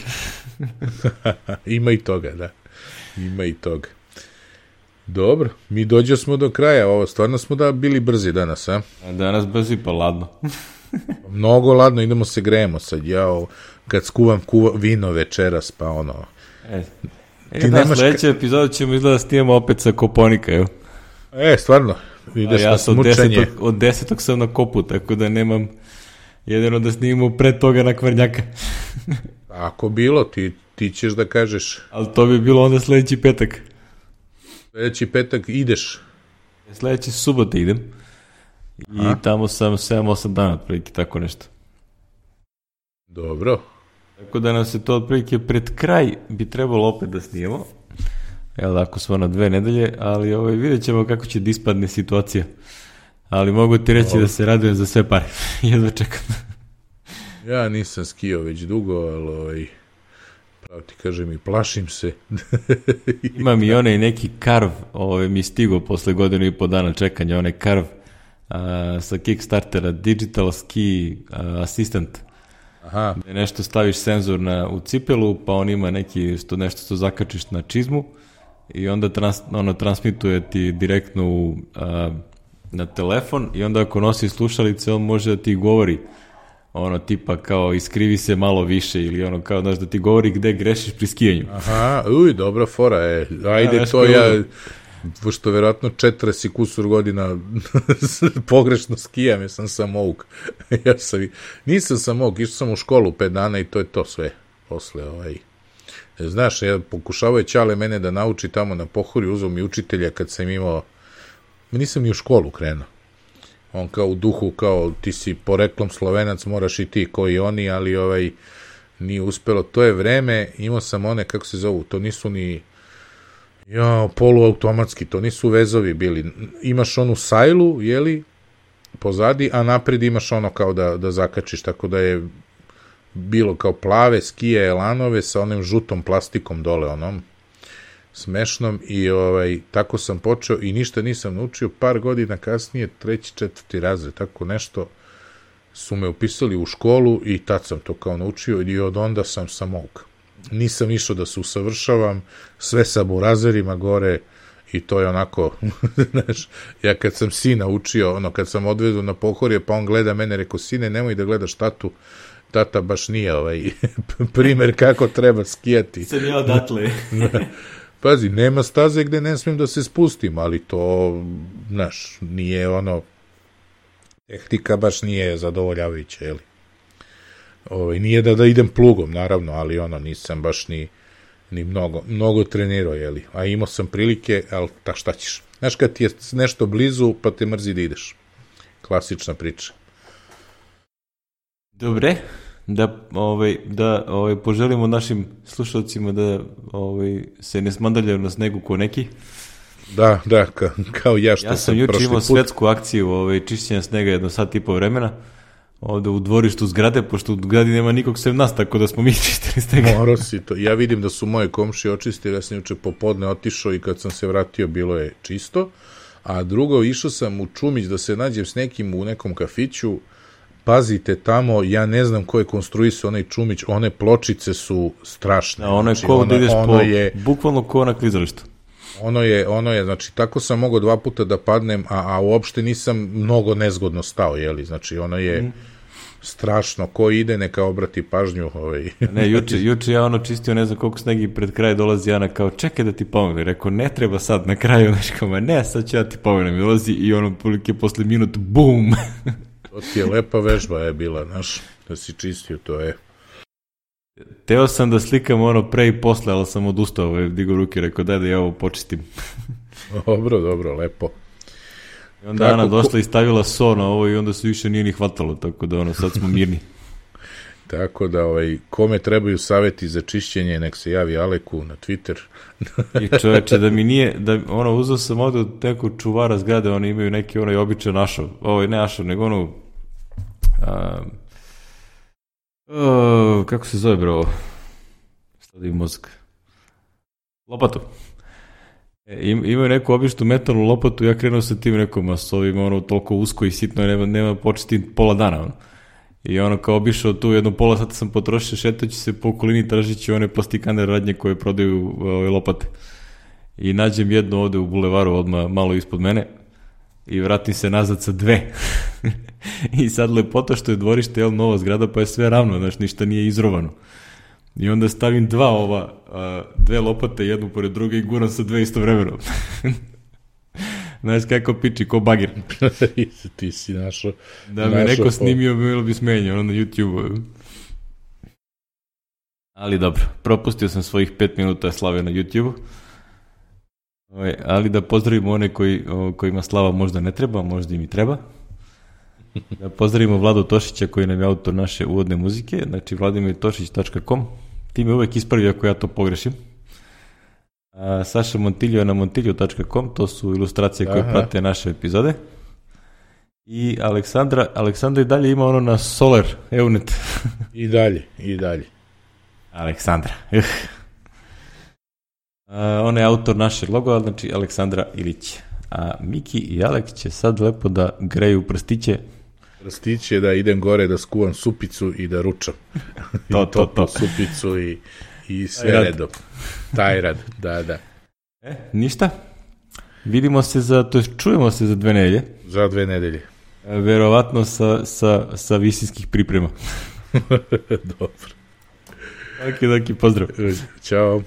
Ima i toga, da. Ima i toga. Dobro, mi dođo smo do kraja, ovo stvarno smo da bili brzi danas, a? Danas brzi pa ladno. Mnogo ladno, idemo se grejemo sad, ja o, kad skuvam kuva, vino večeras, pa ono... E, e da, nemaš... sledeća epizoda ćemo izgleda da snijemo opet sa Koponika, evo. E, stvarno, ideš ja na smučanje. Od desetog, od desetog sam na Kopu, tako da nemam jedino da snimimo pre toga na Kvarnjaka. Ako bilo, ti, ti ćeš da kažeš... Ali to bi bilo onda sledeći petak. Sljedeći petak ideš? Sljedeći subote idem. I a? Tamo sam sedam osam dana, otprilike, tako nešto. Dobro. Tako da nam se to otprilike pred kraj bi trebalo opet da snijemo. Evo da, ako smo na dve nedelje, ali ovaj, vidjet ćemo kako će da ispadne situacija. Ali mogu ti reći Dobro. Da se radujem za sve pare. Jedva čekam. Ja nisam skio već dugo, ali ovaj... Pravo ti kažem i plašim se. Imam i onaj neki karv, ovaj, mi stigo posle godinu i po dana čekanja, onaj karv a, sa Kickstartera, Digital Ski a, Assistant. Aha. Gde nešto staviš senzor na, u cipelu, pa on ima neki, sto, nešto što zakačiš na čizmu i onda trans, ono, transmituje ti direktno u, a, na telefon i onda ako nosi slušalice, on može da ti govori ono tipa kao iskrivi se malo više ili ono kao znaš da ti govori gde grešiš pri skijanju. Aha, uj, dobra fora je. Ajde ja, to ja, pošto verovatno četrdeset kusur godina pogrešno skijam, ja sam samouk. ja sam, nisam samouk, išao sam u školu pet dana i to je to sve. Posle ovaj... Znaš, ja pokušavao je Ćale mene da nauči tamo na Pohorju, uzeo mi učitelja kad sam imao... Nisam ni u školu krenuo. On kao u duhu, kao ti si poreklom Slovenac, moraš i ti koji oni, ali ovaj nije uspelo. To je vreme, imao sam one, kako se zovu, to nisu ni ja, poluautomatski, to nisu vezovi bili. Imaš onu sajlu, jeli, pozadi, a napred imaš ono kao da, da zakačiš, tako da je bilo kao plave skije, elanove sa onim žutom plastikom dole, onom smešnom i ovaj, tako sam počeo i ništa nisam naučio, par godina kasnije, treći, četvrti razred, tako nešto, su me upisali u školu i tad sam to kao naučio i od onda sam samouk. Nisam išao da se usavršavam, sve sa burazerima gore i to je onako, znaš, ja kad sam sina učio, ono, kad sam odvezu na Pohorje, pa on gleda mene, rekao, sine, nemoj da gledaš tatu, tata baš nije ovaj primer kako treba skijati. Sam ja odatle. Pazi, nema staze gde ne smijem da se spustim, ali to, znaš, nije ono, tehnika baš nije zadovoljavajuća, jeli? Ovaj, nije da da idem plugom, naravno, ali ono, nisam baš ni, ni mnogo, mnogo trenirao, jeli? A imao sam prilike, ali ta šta ćeš? Znaš, kad ti je nešto blizu, pa te mrzi da ideš. Klasična priča. Dobre, da, ovaj, da ovaj, poželimo našim slušalcima da ovaj, se ne smandaljaju na snegu ko neki. Da, da, ka, kao ja što ja sam, sam juče imao put. svetsku akciju ovaj, čišćenja snega jedno sat i po vremena. Ovde u dvorištu zgrade, pošto u zgradi nema nikog sem nas, tako da smo mi čistili snega. Morao si to. Ja vidim da su moje komšije očistili, ja sam juče popodne otišao i kad sam se vratio bilo je čisto. A drugo, išao sam u Čumić da se nađem s nekim u nekom kafiću. Pazite tamo, ja ne znam ko je konstruisao onaj Čumić, one pločice su strašne. Da, ono je znači, ko da ideš po, je, bukvalno ko na klizalištu. Ono je, ono je, znači, tako sam mogao dva puta da padnem, a, a uopšte nisam mnogo nezgodno stao, jeli, znači, ono je mm. strašno, ko ide, neka obrati pažnju. Ovaj. Ne, juče, juče ja ono čistio, ne znam koliko snegi pred kraj dolazi Ana, kao, čekaj da ti pomogne, rekao, ne treba sad na kraju, znači, kao, ne, sad ću ja ti pomognem, i dolazi i ono, prilike posle minut, bum! To ti je lepa vežba je bila, znaš, da si čistio, to je. Teo sam da slikam ono pre i posle, ali sam odustao, digo ruke, rekao daj da ja ovo počistim. Dobro, dobro, lepo. I onda tako, Ana došla i stavila so na ovo i onda se više nije ni hvatalo, tako da ono, sad smo mirni. Tako da, ovaj, kome trebaju saveti za čišćenje, nek se javi Aleku na Twitter. I čoveče, da mi nije, da, ono, uzao sam ovde od nekog čuvara zgrade, oni imaju neki onaj običan ašov, ovaj ne ašov, nego ono, a, a, kako se zove bro, stavi mozak, lopatu. E, im, imaju neku običnu metalnu lopatu, ja krenuo sa tim nekom masovim, ono, toliko usko i sitno, nema, nema početi pola dana, ono. I ono kao obišao tu jedno pola sata sam potrošio šetajući se po okolini tražići one plastikane radnje koje prodaju ove lopate. I nađem jednu ovde u bulevaru odmah malo ispod mene i vratim se nazad sa dve. I sad lepota što je dvorište, jel, nova zgrada, pa je sve ravno, znaš, ništa nije izrovano. I onda stavim dva ova, dve lopate, jednu pored druge i guram sa dve istovremeno. Znaš kako piči, ko bagir. Ti si našo. Da me našo neko snimio, bilo bi smenio, ono na YouTube. Ali dobro, propustio sam svojih pet minuta slave na YouTube. Ali da pozdravimo one koji, kojima slava možda ne treba, možda im i treba. Da pozdravimo Vladu Tošića koji nam je autor naše uvodne muzike, znači vladimir tošić tačka com. Ti me uvek ispravi ako ja to pogrešim. A Saša Montiljo na montiljo tačka com, to su ilustracije koje Aha. prate naše epizode. I Aleksandra, Aleksandra i dalje ima ono na Solar, Eunet. I dalje, i dalje. Aleksandra. A, on je autor našeg loga, znači Aleksandra Ilić. A Miki i Alek će sad lepo da greju prstiće. Prstiće da idem gore da skuvam supicu i da ručam. to, to, to. Supicu i I sve rad. redom. Taj rad, da, da. E, ništa. Vidimo se za, to je, čujemo se za dve nedelje. Za dve nedelje. E, verovatno sa, sa, sa visinskih priprema. Dobro. Ok, ok, pozdrav. Ćao.